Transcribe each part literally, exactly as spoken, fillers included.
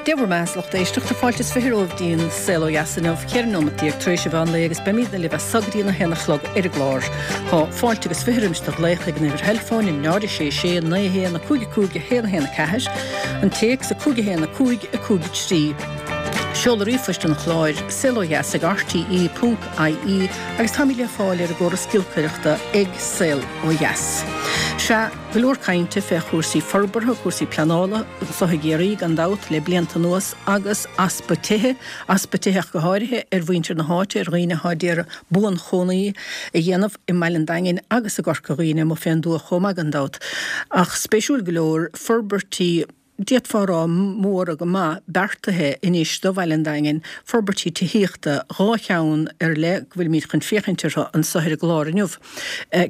Dia bhur mbeatha, a lucht éisteachta, fáilte is fiche romhaibh dtí'n Saol Ó Dheas inniu, ceithre nóimeat déag tar éis an mheán lae agus beimidne libh as so go dtí an a haon a chlog ar an gclár. Tá fáilte agus fiche roimis do ghlaoch ag an uimhir theileafóin náid a sé sé naoi a haon a cúig a cúig a haon a haon a ceathair, an téacs a cúig a haon a cúig a cúig a trí. Seoladh ríomhphoist an chláir, saolodheas ag rte ponc ie agus táimid le fáil ar an gcóras giolcaireachta ag Saol Ó Dheas. Sea, go leor cainte fé chúrsaí forbartha, cúrsaí pleanála anso i gCiarraí gan dabht le blianta anuas agus easpa tithe, easpa tithe ach go háirithe ar mhuintir na háite, ar dhaoine atá d'iarraidh buanchónaí a dhéanamh i mBaile an Daingin agus i gCorca Dhuibhne, amuigh fén dtuath chomh maith gan dabht. Ach spéisiúil go leor, forbairtí, d'fhéadfá a rá, móra go maith beartaithe anois do Bhaile an Daingin, forbairtí tithíochta, dhá cheann ar leith go bhfuilimid chun féachaint orthu anso ar an gclár inniu.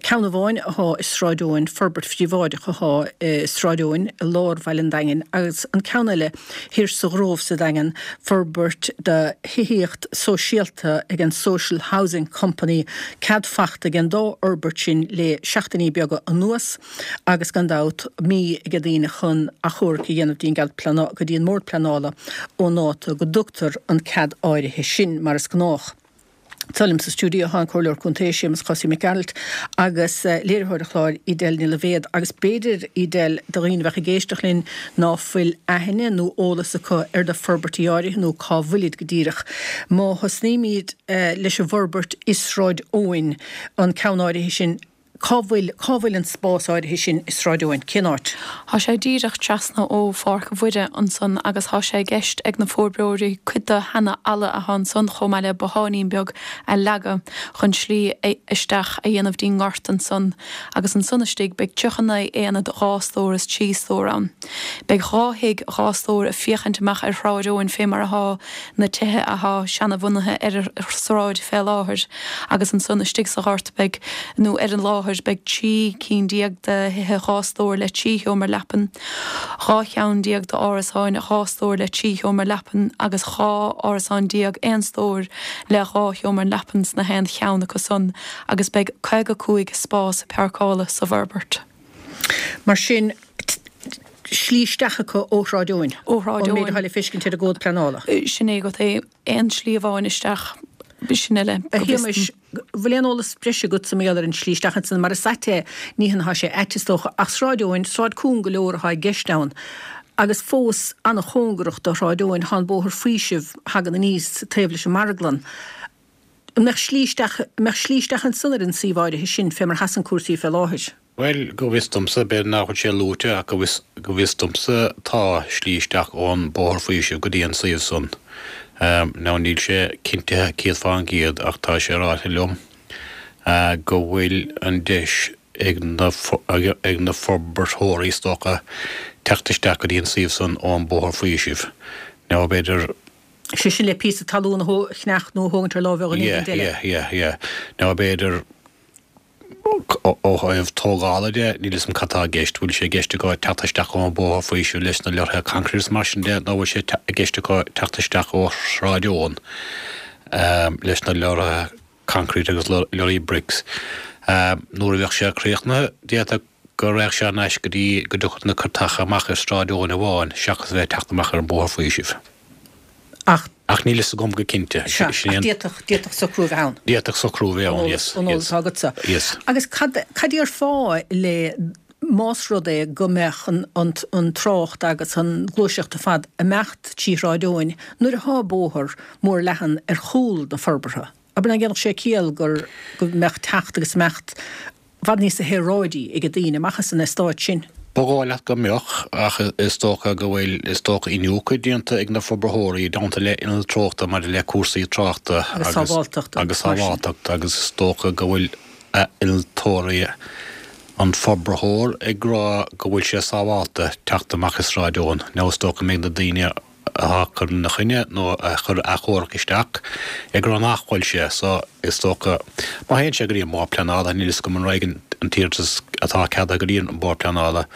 Ceann amháin athá i Sráid Eoin, forbairt phríobháideach athá i Sráid Eoin i lár Bhaile an Daingin agus an ceann eile thiar sa Ghrove sa Daingean, forbairt do thithíocht sóisialta ag an Social Housing Company. Cead fachta ag an dá fhorbairt sin le seachtainí beaga anuas. Agus gan dabht, mí ag daoine chun achomharc a dhéanamh dtí an gcead pleanála, go dtí an mBord Pleanála ón dáta go dtugtar an cead áirithe sin, mar is gnách. Anseo liom sa stiúideo tá an Comhairleoir Contae, Séamus Chosaí Mac Gearailt, agus léiritheoir an chláir, Edel Ní Loibhéad. Agus b'fhéidir, Edel, do dhaoine a bheadh ag éisteacht linn ná fuil aithne nó eolas acu ar na forbairtí áirithe nó cá bhfuilid go díreach. Má thosnaímid leis an bhforbairt i Sráid Eoin, an ceann áirithe sin, Cá bhfuil, cá bhfuil an spás áirithe sin i Sráid Eoin? Cén áit? Thá sé díreach trasna ó Pháirc Mhuire ansan agus thá sé i gceist ag na forbróirí cuid de sheana fhalla athá ansan chomh maith le botháinín beag a leagadh chun slí isteach a dhéanamh dtí'n ngort ansan agus ansan istigh beidh tríocha naoi aonad dhá stór is trí stór ann. Beidh dhá thigh dhá stór ag féachaint amach ar Shráid Eoin fé mar athá na tithe athá seana-bhunaithe ar an sráid fé láthair agus ansan istigh sa ghort beidh nó ar an láthair beidh trí cinn déag de thithe dhá stór le trí sheomra leapan, dhá cheann déag d'árasáin dhá stór le trí sheomra leapan agus dhá árasán déag aon stór le dhá sheomra leapan sna haon cheann acu san agus beidh caoga cúig spás páirceála sa bhforbairt. Mar sin, slí isteach acu ó Shráid Eoin. Ó Shráid Ón méid Eoin. atá le feiscint ar an gcomhad pleanála. Sin é agat é. Aon slí amháin isteach, sin uile, A go bhfios dom. Shéamais, bhfuil aon eolas breise agatsa mar gheall ar an tslí isteach ansan? Mar is ait é, ní hin athá sé ait is dócha, ach Sráid Eoin, sráid cúng go leor athá i gceist ann. Agus fós an-chóngarach do Shráid Eoin thá an Bóthar Faoisimh a thagann aníos taobh leis an marglann. An mbeadh slí isteach, an mbeadh slí isteach ansan ar an suíomh áirithe sin fé mar sheasann cúrsaí fé láthair? Bhuel, go bhfios domsa, b'fhéidir nach bhfuil sé luaite ach go bhfios, go bhfios domsa tá slí isteach ón Bóthar Faoisimh go dtí an suíomh san. Now níl sé cinntithe céad fán gcéad ach tá sé ráite liom go bhfuil an deis ag na, ag na forbarthóirí is dócha teacht isteach go dtí an suíomh san ón Bóthar Faoisimh. Now b'fhéidir. Sé sin le píosa talún a cheannach nó a thógaint ar láimh ó dhuine Yeah, éigint eile. yeah, yeah, yeah. Now b'fhéidir. Ó thaobh tógála de, níl 'fhios a'm cad tá i gceist. Bhfuil sé i gceist acu teacht isteach ón bóthar faoisimh leis na leoraithe concrete is mar sin de nó bhfuil sé i gceist acu teacht isteach ó Shráid Eoin leis na leoraithe concrete agus leoraí bricks. Nuair a bheadh sé críochnaithe, d'fhéadfadh go raghadh sé thar n-ais go dtí go dtiocfadh na cairteacha amach ar Shráid Eoin amháin seachas a bheith ag teacht amach ar an bóthar faoisimh. Ach. Ach níl fhios agam go cinnte. Sea, ach d'fhéadfadh, d'fhéadfadh socrú a bheith ann. D'fhéadfadh socrú a bheith ann, yes, Ón eolas atá agatsa. Yes. Agus cad, cad déarfá le, más rud é go mbeadh an, an, an trácht agus an ghluaiseacht ar fad ag imeacht trí Shráid Eoin nuair atá bóthar mór leathan ar chúl na forbartha? Abair nach ndéanfadh sé ciall gur, go mbeadh teacht agus imeacht i bhfad níosa shaoráidí ag daoine amach as an eastát sin? Ba dhóigh leat go mbeadh, ach is dócha go bhfuil, is dócha, iniúchadh déanta ag na forbarthóirí i dteannta le Ionad Tráchta maidir le cúrsaí tráchta Agus sábháilteacht agus agus mar sin. sábháilteacht agus is dócha go bhfuil innealtóirí an forbarthóir ag rá go bhfuil sé sábhálta teacht amach i Sráid Eoin. Now is dócha go mbeidh na daoine atá ag cur ina choinne nó a chuir achomharc isteach ag rá nach bhfuil sé so is dócha má théann sé go dtí an Bord Pleanála, níl fhios agam an raghaidh an t-iarratas atá ceadaithe go dtí an Bord Pleanála,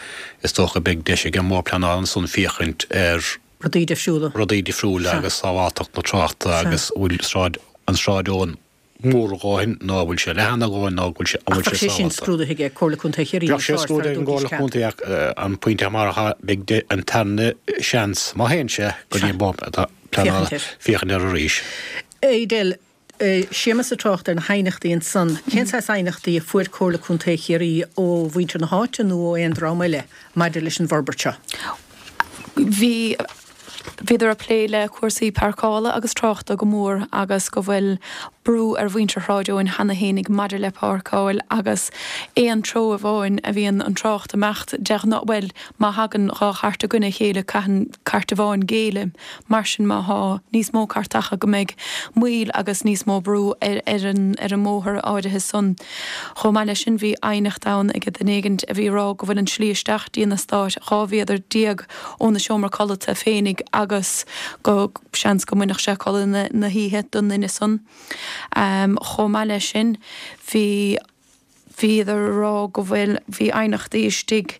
is dócha beidh deis ag an mBord Pleanála ansan féachaint ar Rudaí difriúla. rudaí difriúla Sea. agus sábháltacht na tráchta Sea. agus bhfuil sráid, an Sráid Eoin mór a dhóthain nó an bhfuil sé leathan a dhóthain nó an bhfuil sé Ach bheadh sé sin scrúdaithe ag Comhairle Contae Chiarraí Bheadh sé scrúdaithe ag an gComhairle Contae ach an pointe mar atá beidh an tarna seans má théann sé go dtí an bord atá pleanála féachaint air arís. Edel, Séamus ag trácht ar na haighneachtaí ansan. Cén saghas aighneachtaí a fuair Comhairle Contae Chiarraí ó mhuintir na háite nó ó aon dream eile maidir leis an bhforbairt seo? Bhí Bhíodar ag plé le cúrsaí páirceála agus tráchta go mór agus go bhfuil brú ar mhuintir Shráid Eoin cheana fhéinig maidir le páirceáil agus aon treo amháin a bhíonn an trácht ag imeacht de ghnáth, bhuel, má thagann dhá chairt i gcoinne a chéile caitheann cairt amháin géilleadh, mar sin má thá níos mó cairteacha go mbeidh moill agus níos mó brú ar ar an ar an mbóthar áirithe san. Chomh maith leis sin bhí aighneacht ann ag duine éigint a bhí ag rá go bhfuil an tslí isteach dtí an eastát dhá mhéadar déag óna seomra codlata féinig agus go seans go mbainfeadh sé codladh na hoíche don duine san. Chomh maith leis sin bhí bhíodar ag rá go bhfuil bhí aighneachtaí istigh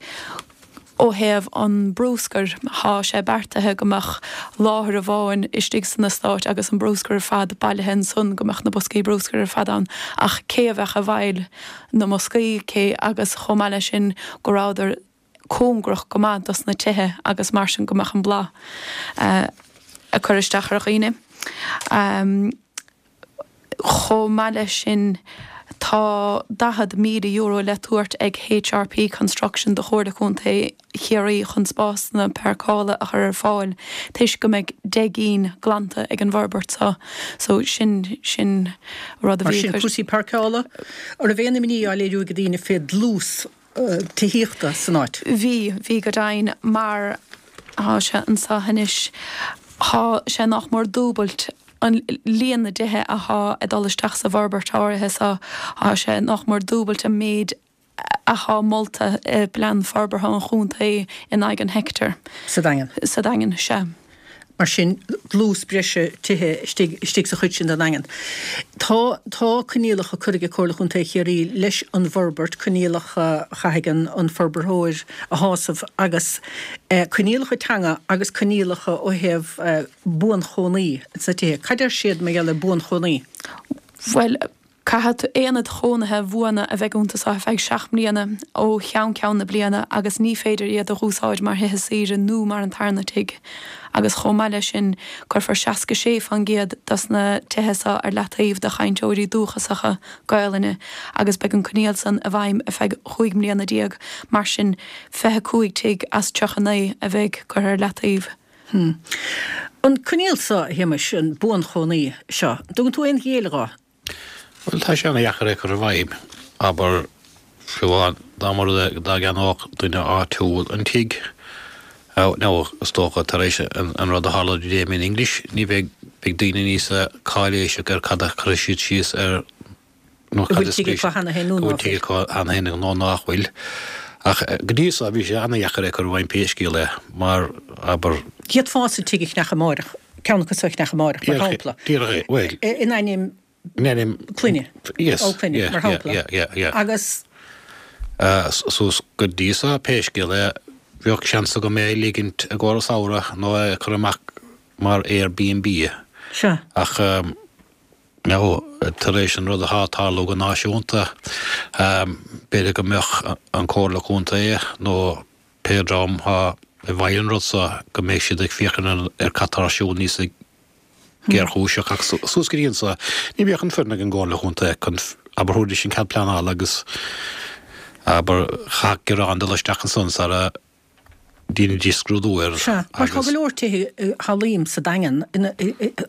ó thaobh an brúscair. Thá sé beartaithe go mbeadh láthair amháin istigh san eastát agus an brúscar ar fad bailithe ansan, go mbeadh na boscaí brúscair ar fad ann ach cé a bheadh i bhfeighil na mboscaí, cé agus chomh maith leis sin go rabhadar cóngarach go maith dos na tithe agus mar sin go mbeadh an bláth ag cur isteach ar dhaoine. Chomh maith leis sin tá daichead míle euro le tabhairt ag HRP Construction do Chomhairle Contae Chiarraí chun spásanna páirceála a chur ar fáil toisc go mbeidh deich gcinn glanta ag an bhforbairt seo. So sin sin rud a Mar bhí sin ag cur. cúrsaí páirceála, an raibh aon imní á léiriú ag daoine fé dlús tithíochta san áit? Bhí, bhí go deimhin, mar thá sé anso anois, thá sé nach mór dúbailt an líon na dtithe athá ag dul isteach sa bhforbairt áirithe so, thá sé nach mór dúbailt an méid athá molta i bplean forbartha an chontae in aghaidh an heicteáir. Sa Daingean? Sa Daingean, sea. Mar sin, dlús breise tithe istigh, istigh sa chuid sin den Daingean. Tá, tá coinníollacha curtha ag Comhairle Chontae Chiarraí leis an bhforbairt, coinníollacha a chaithfidh an, an forbarthóir a shásamh agus eh, coinníollacha teanga agus coinníollacha ó thaobh eh, buanchónaí sna tithe. Cad deir siad mar gheall ar buanchónaí? Bhuel, Caithfidh aonaid chónaithe bhuana a bheith iontu so ar feadh seacht mbliana ó cheann ceann na bliana agus ní féidir iad a dh'úsáid mar thithe saoire nó mar an tarna tigh. Agus chomh maith leis sin, cuirfear seasca sé faoin gcéad dos na tithe so ar leataobh do chainteoirí dúchasacha Gaelainne agus beidh an coinníoll san i bhfeidhm ar feadh chúig mbliana déag, mar sin fiche cúig tigh as tríocha naoi a bheidh curtha ar leataobh. An coinníoll so, a Shéamais, an buanchónaí seo, an dtugann tú aon ghéilleadh dhó? Bhuel, tá sé ana-dheacair é cur i bhfeidhm, abair, fiú amháin dá mba rud é dá gceannódh duine áitiúil an tigh, nó is dócha tar éis an rud a tharla do Damien English, ní bheidh, beidh daoine níos cáiléiseach ar cad a chuirfidh siad síos ar, nó Go cad bhfuil a tigh acu scríobh, cheana féin nó go ná bhfuil tigh fuil. acu cheana féin nó nach bhfuil. Ach go dtí so bhí sé ana-dheacair é cur i bhfeidhm pé scéal é, mar, abair. D'fhéadfása tigh a cheannach amáireach, ceann acu so a cheannach amáireach, mar shampla. Díreach é, bhuel. In ainm. In ainm. Clainne. Yes. Ó clainne, Yeah, mar yeah, shampla. yeah, yeah, yeah. Agus. Suas go dtí so, pé scéal é, bheadh seans agam é a ligint i gcomhair an samhradh nó é a chur amach mar Airbnb. Sea. Ach, now, tar éis an rud atá ag tarlú go náisiúnta, b'fhéidir go mbeadh an Comhairle Contae nó pé dream atá i bhfeighil an rud so, go mbeidh siad ag féachaint ar cad tá ar siúl níos géarchúiseach ach suas go dtí anso, ní bheadh an foireann ag an gComhairle Chontae chun, abair, thabharfaidís an cead pleanála agus, abair, chaithfeadh gearán dul isteach ansan sara ndéanfaidís scrúdú air Sea, mar tá agus. go leor tithe shamhlaím sa Daingean,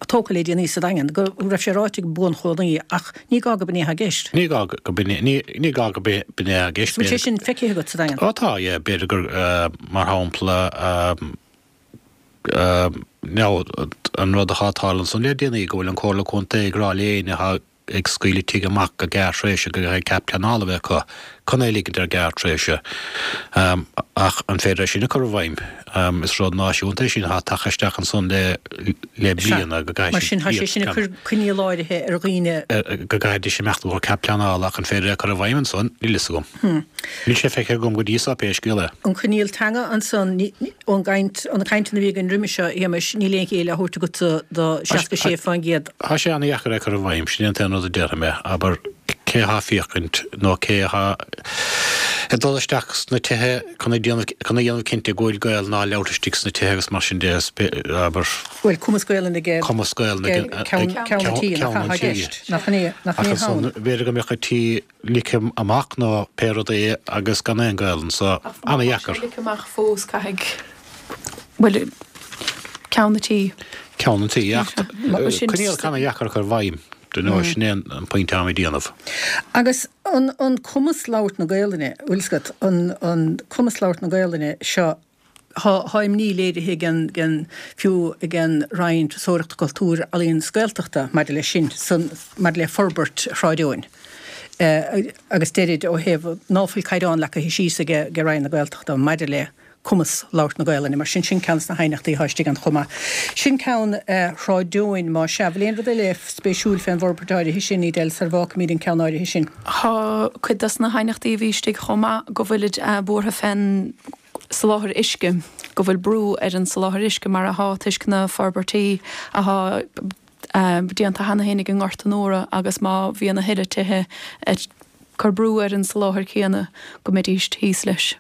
tógtha le déanaí sa Daingean, go raibh sé ráite ag buanchónaí ach ní gá go b'in é atá i gceist. Ní gá go b'in é, ní gá go b'in é atá i gceist, Bhfuil sé b'fhéidir. sin feicthe agat sa Daingean? Ó tá, yeah, b'fhéidir gur, mar shampla, Now, an rud atá ag tarlú ansan le déanaí, go bhfuil an Comhairle Contae ag rá le éinne atá ag scaoileadh tigh amach go gearr tar éis go gcaithfidh cead pleanála a bheith acu, chun é a ligint ar gearrthréimhse. Ach an féidir é sin a chur i bhfeidhm? Is rud náisiúnta é sin atá tagtha isteach ansan le le bliana go gcaithfidh Mar sin, tá sé sin ag cur coinníoll áirithe ar dhaoine. go gcaithfidís imeacht i gcomhair cead pleanála ach an féidir é a chur i bhfeidhm ansan? Níl fhios agam. Níl sé feicthe agam go dtí seo pé scéal é. An coinníoll teanga ansan, ón gcaint, ó na cainteanna a bhí againn roimhe seo, a Shéamais, níl aon chéill á thabhairt agatsa do seasca sé fán gcéad. Tá sé an-dheacair é a chur i bhfeidhm, sin é an t-aon rud a déarfaidh mé, abair, cé atá ag féachaint nó cé atá ag dul isteach sna tithe chun a dhéanamh chun a dhéanamh cinnte go bhfuil Gaelainn á labhairt istigh sna tithe agus mar sin de, abair. Bhuel, cumas Gaelainne ag cumas Gaelainne ag ceann an tí, nach ea atá i gceist, nach in é, nach in é Ach ansan, b'fhéidir go mbeadh an tí ligthe amach nó pé rud é agus gan aon Ghaelainn, so Ach má tá sé an-dheacair. ligthe amach fós, caithfidh, bhuel, ceann an tí. Ceann an tí, ach coinníoll an-dheacair a chur i bhfeidhm, do you know, sin é an pointe atáim ag déanamh. Agus an an cumas labhairt na Gaelainne, bhfuil fhios agat, an an cumas labhairt na Gaelainne seo, thá thá imní léirithe ag an ag fiú ag an Roinn Turasóireachta, Cultúir, Ealaíon is Gaeltachta maidir leis sin, san maidir le forbairt Shráid Eoin. Agus deirid ó thaobh ná fuil caighdeán leagtha síos ag ag Roinn na Gaeltachta maidir le cumas labhairt na Gaelainne. Mar sin, sin ceann des na haighneachtaí atá istigh ann chomh maith. Sin ceann Shráid Eoin, más ea. Bhfuil aon rud eile spéisiúil fén bhforbairt áirithe sin, Edel, sar bhfágfaimid an ceann áirithe sin? Tá cuid des na haighneachtaí a bhí istigh chomh maith go bhfuilid buartha fén soláthar uisce, go bhfuil brú ar an soláthar uisce mar athá toisc na forbairtí athá déanta cheana féin ag an nGort an Óra agus má bhíonn a thuilleadh tithe ag cur brú ar an soláthar céanna go mbeidís thíos leis.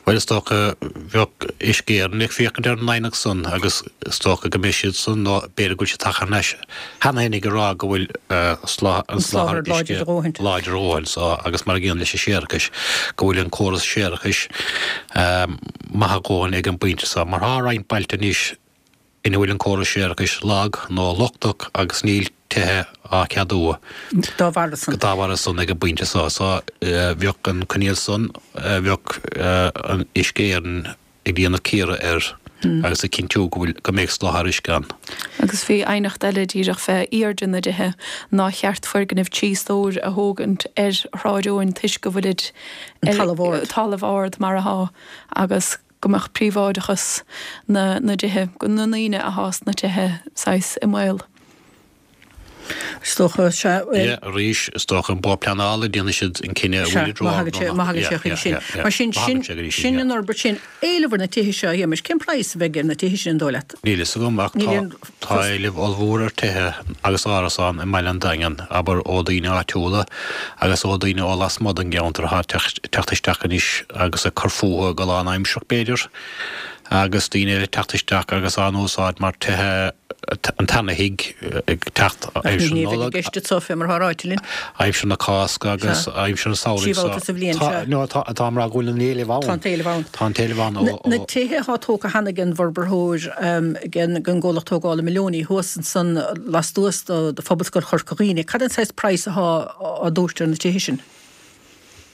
Bhuel, is dócha, bheadh Uisce Éireann ag féachaint ar an aighneacht san agus is dócha go mbeidh siad san, nó b'fhéidir go bhfuil siad tagtha thar n-ais cheana féin ag rá go bhfuil an soláthar uisce láidir a dhóthain so agus mar a gcéanna leis an séarachais, go bhfuil an córas séarachais maith a dhóthain ag an bpointe so. Mar tá roinnt bailte anois ina bhfuil an córas séarachais lag nó lochtach agus níl tithe á ceadú dá bharra san. dá bharra san ag an bpointe so. So bheadh an coinníoll san, bheadh an Uisce Éireann ag déanamh cíoradh air agus ag cinntiú go bhfuil, go mbeidh soláthar uisce ann. Agus bhí aighneacht eile díreach fé airde na dtithe, nár cheart foirgnimh trí stór a thógaint ar Shráid Eoin toisc go bhfuilid ar talamh ard. talamh ard mar athá agus go mbeadh príobháideachas na na dtithe, na ndaoine athá sna tithe saghas i mbaol. Is dócha, sea, bhuel. Yeah, arís, is dócha an Bord Pleanála, déanfaidh siad an cinneadh an Sea, bhfuil má thagann sé, má thagann sé chuige sin. Mar sin, sin, sin an fhorbairt sin. Éileamh ar na tithe seo, a Shéamais, cén praghas a bheidh ar na tithe sin, an dóigh leat? Níl fhios agam, ach Níl tá, aon tá éileamh ollmhór ar tithe agus árasáin i mbaile an Daingin, abair ó daoine áitiúla agus ó daoine ó lasmuigh den gceantar atá ag teacht isteach anois agus ag cur fúthu go lánaimsearach b'fhéidir, agus daoine eile ag teacht isteach agus á n-úsáid mar tithe an tarna thigh ag teacht Ach ní aimsir ní na bheidh i Nollag, gceist anseo fé mar atá ráite linn. aimsir na Cásca agus Sea. aimsir an Trí tsamhraidh so bhabhta sa bhliain, tá sea. no tá táim ag rá go bhfuil an éileamh Tá ann. an t-éileamh ann. Tá an t-éileamh ann ó Na na ó tithe atá tógtha cheana ag an bhforbarthóir ag an ag an gcomhlacht tógála Moloney thuas ansan lastuas do do Phobalscoil Chorca Dhuibhne, cad é an saghas praghas atá á dtabhairt ar na tithe sin?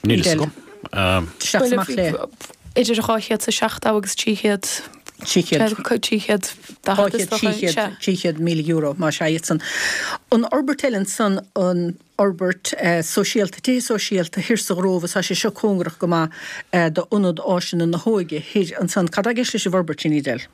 Níl fhios Edel. agam. Isteach is amach le. Idir dhá chéad is a seachtó agus trí chéad. Trí chéad. Trí chéad Dhá daichead is chéad, trí dócha. chéad, Sea. trí chéad míle euro, más ea iad san. An fhorbairt eile ansan, an fhorbairt sóisialta, tithe sóisialta thoir sa Ghrove, is tá sé seo cóngarach go maith d'Ionad Áiseanna na hÓige thoir ansan. Cad tá i gceist leis an bhforbairt sin, Edel?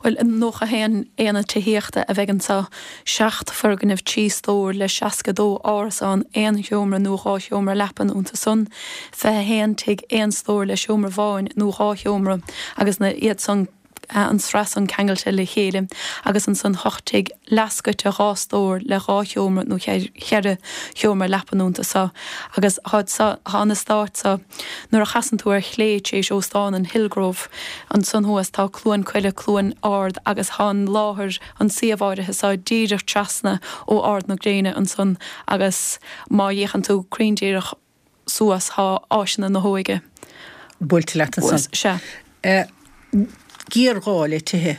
Bhuel, nócha a haon aonad tithíochta a bheidh anseo, seacht foirgneamh trí stór le seasca dó árasán aon sheomra nó dhá sheomra leapan iontu san, fiche a haon tigh aon stór le seomra amháin nó dhá sheomra agus na iad san an sraith san ceangailte le chéile agus ansan ocht tigh leathscoite dhá stór le dhá sheomra nó cheithre sheomra leapan iontu so agus tá tá an eastát so nuair a chasann tú ar chlé tar éis Óstán an Hillgrove ansan thuas tá Cluain Coille, Cluain Ard agus tá an láthair, an suíomh áirithe so díreach trasna ó Ard na Gréine ansan agus má fhéachann tú cruinn díreach suas tá áiseanna na hóige. Buailte leat ansan. Sea. Géarghá le tithe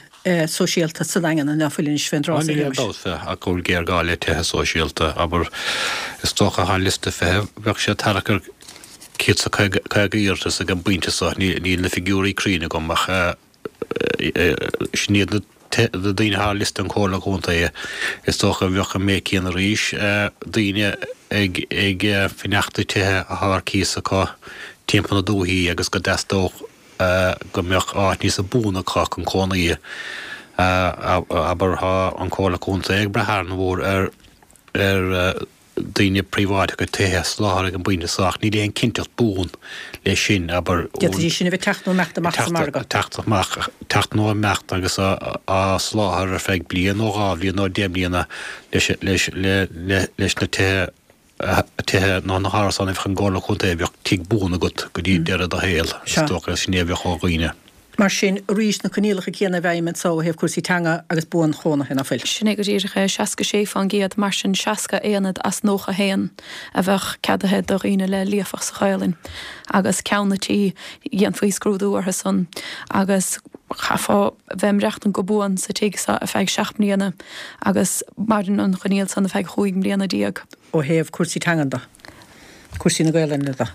sóisialta sa Daingean ná fuil anois fén dtráth Níl aon dabht fé ach go bhfuil géarghá le tithe sóisialta, abair, is dócha tá an liosta feithimh, bheadh sé thart ar céad is caoga iarratas ag an bpointe seo, níl na figiúirí cruinn agam ach sin iad na daoine atá ar liosta an Chomhairle Contae, is dócha bheadh an méid céanna arís, daoine ag ag fanacht i tithe atá ar cíos acu timpeall na dúichí agus go dteastódh go mbeadh áit níosa buaine acu chun cónaí. Abair tá an Chomhairle Contae ag brath an-mhór ar ar daoine príobháideacha tithe a sholáthar ag an bpointe seo ach níl aon cinnteacht buan leis sin, abair, D'fhéadfaidís sin a bheith teacht nó imeacht amach sa margadh. teacht amach, teacht nó imeacht agus á soláthar ar feadh bliain nó dhá bhliain nó deich mbliana leis leis le le leis na tithe tithe nó na hárasáin a bheadh an gComhairle Contae bheadh tigh buan agat go dtí deireadh do shaoil, is dócha, sin é a bheadh ó dhaoine. Mar sin, arís, na coinníollacha céanna i bhfeidhm anso ó thaobh cúrsaí teanga agus buanchónaithe, ná fuil? Sin é go díreach é, seasca sé fán gcéad, mar sin seasca aonad as nócha haon a bheadh ceadaithe do dhaoine le líofacht sa Ghaelainn. Agus ceann an tí, dhéanfaí scrúdú orthu san agus chaithfeá bheith ag maireachtaint go buan sa tigh so ar feadh seacht mbliana agus maireann an choinníoll san ar feadh chúig mbliana déag. Ó thaobh cúrsaí teangan de. Cúrsaí na Gaelainne de.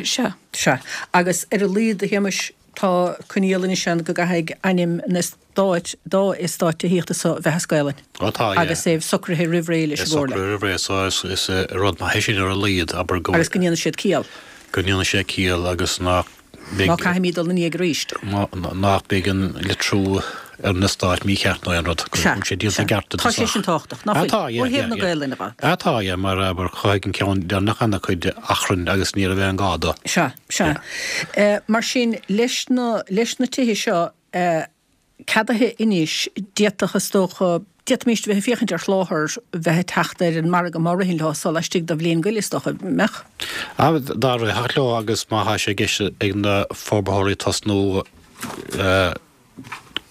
Sea. Sea. Agus ar a laghad, a Shéamais, tá coinníoll anois ann go gcaithfidh ainm na eastáit, dá eastát tithíochta so bheith as Gaelainn. Ó tá, yeah. Agus é socraithe roimh ré leis an gComhairle. Socraithe roimh ré, so is, is rud maith é sin ar a laghad, abair go. Agus go ndéanfaidh siad ciall. Go ndéanfaidh sé ciall agus nach mbeidh. Ná caithfimid dul ina ndiaidh arís. Nach mbeidh an litriú ar an eastát mícheart nó aon rud, go bhfuil sé déanta i gceart i Tá sé sin tábhachtach, ná fuil? Tá, yeah, Ó thaobh na Gaelainne de. Ah tá, yeah, mar abair chothaigh an ceann deireanach an-chuid achrainn agus ní raibh aon ghá dó. Sea, sea. Mar sin, leis na, leis na tithe seo ceadaithe anois, d'fhéadfadh, is dócha, d'fhéadfaimis a bheith ag féachaint ar sholáthar bheith ag teacht ar an margadh má ritheann leo so laistigh de bhliain go leith, is dócha, an mbeadh? Ah, dá rithfeadh leo agus má tá sé i gceist ag na forbarthóirí tosnú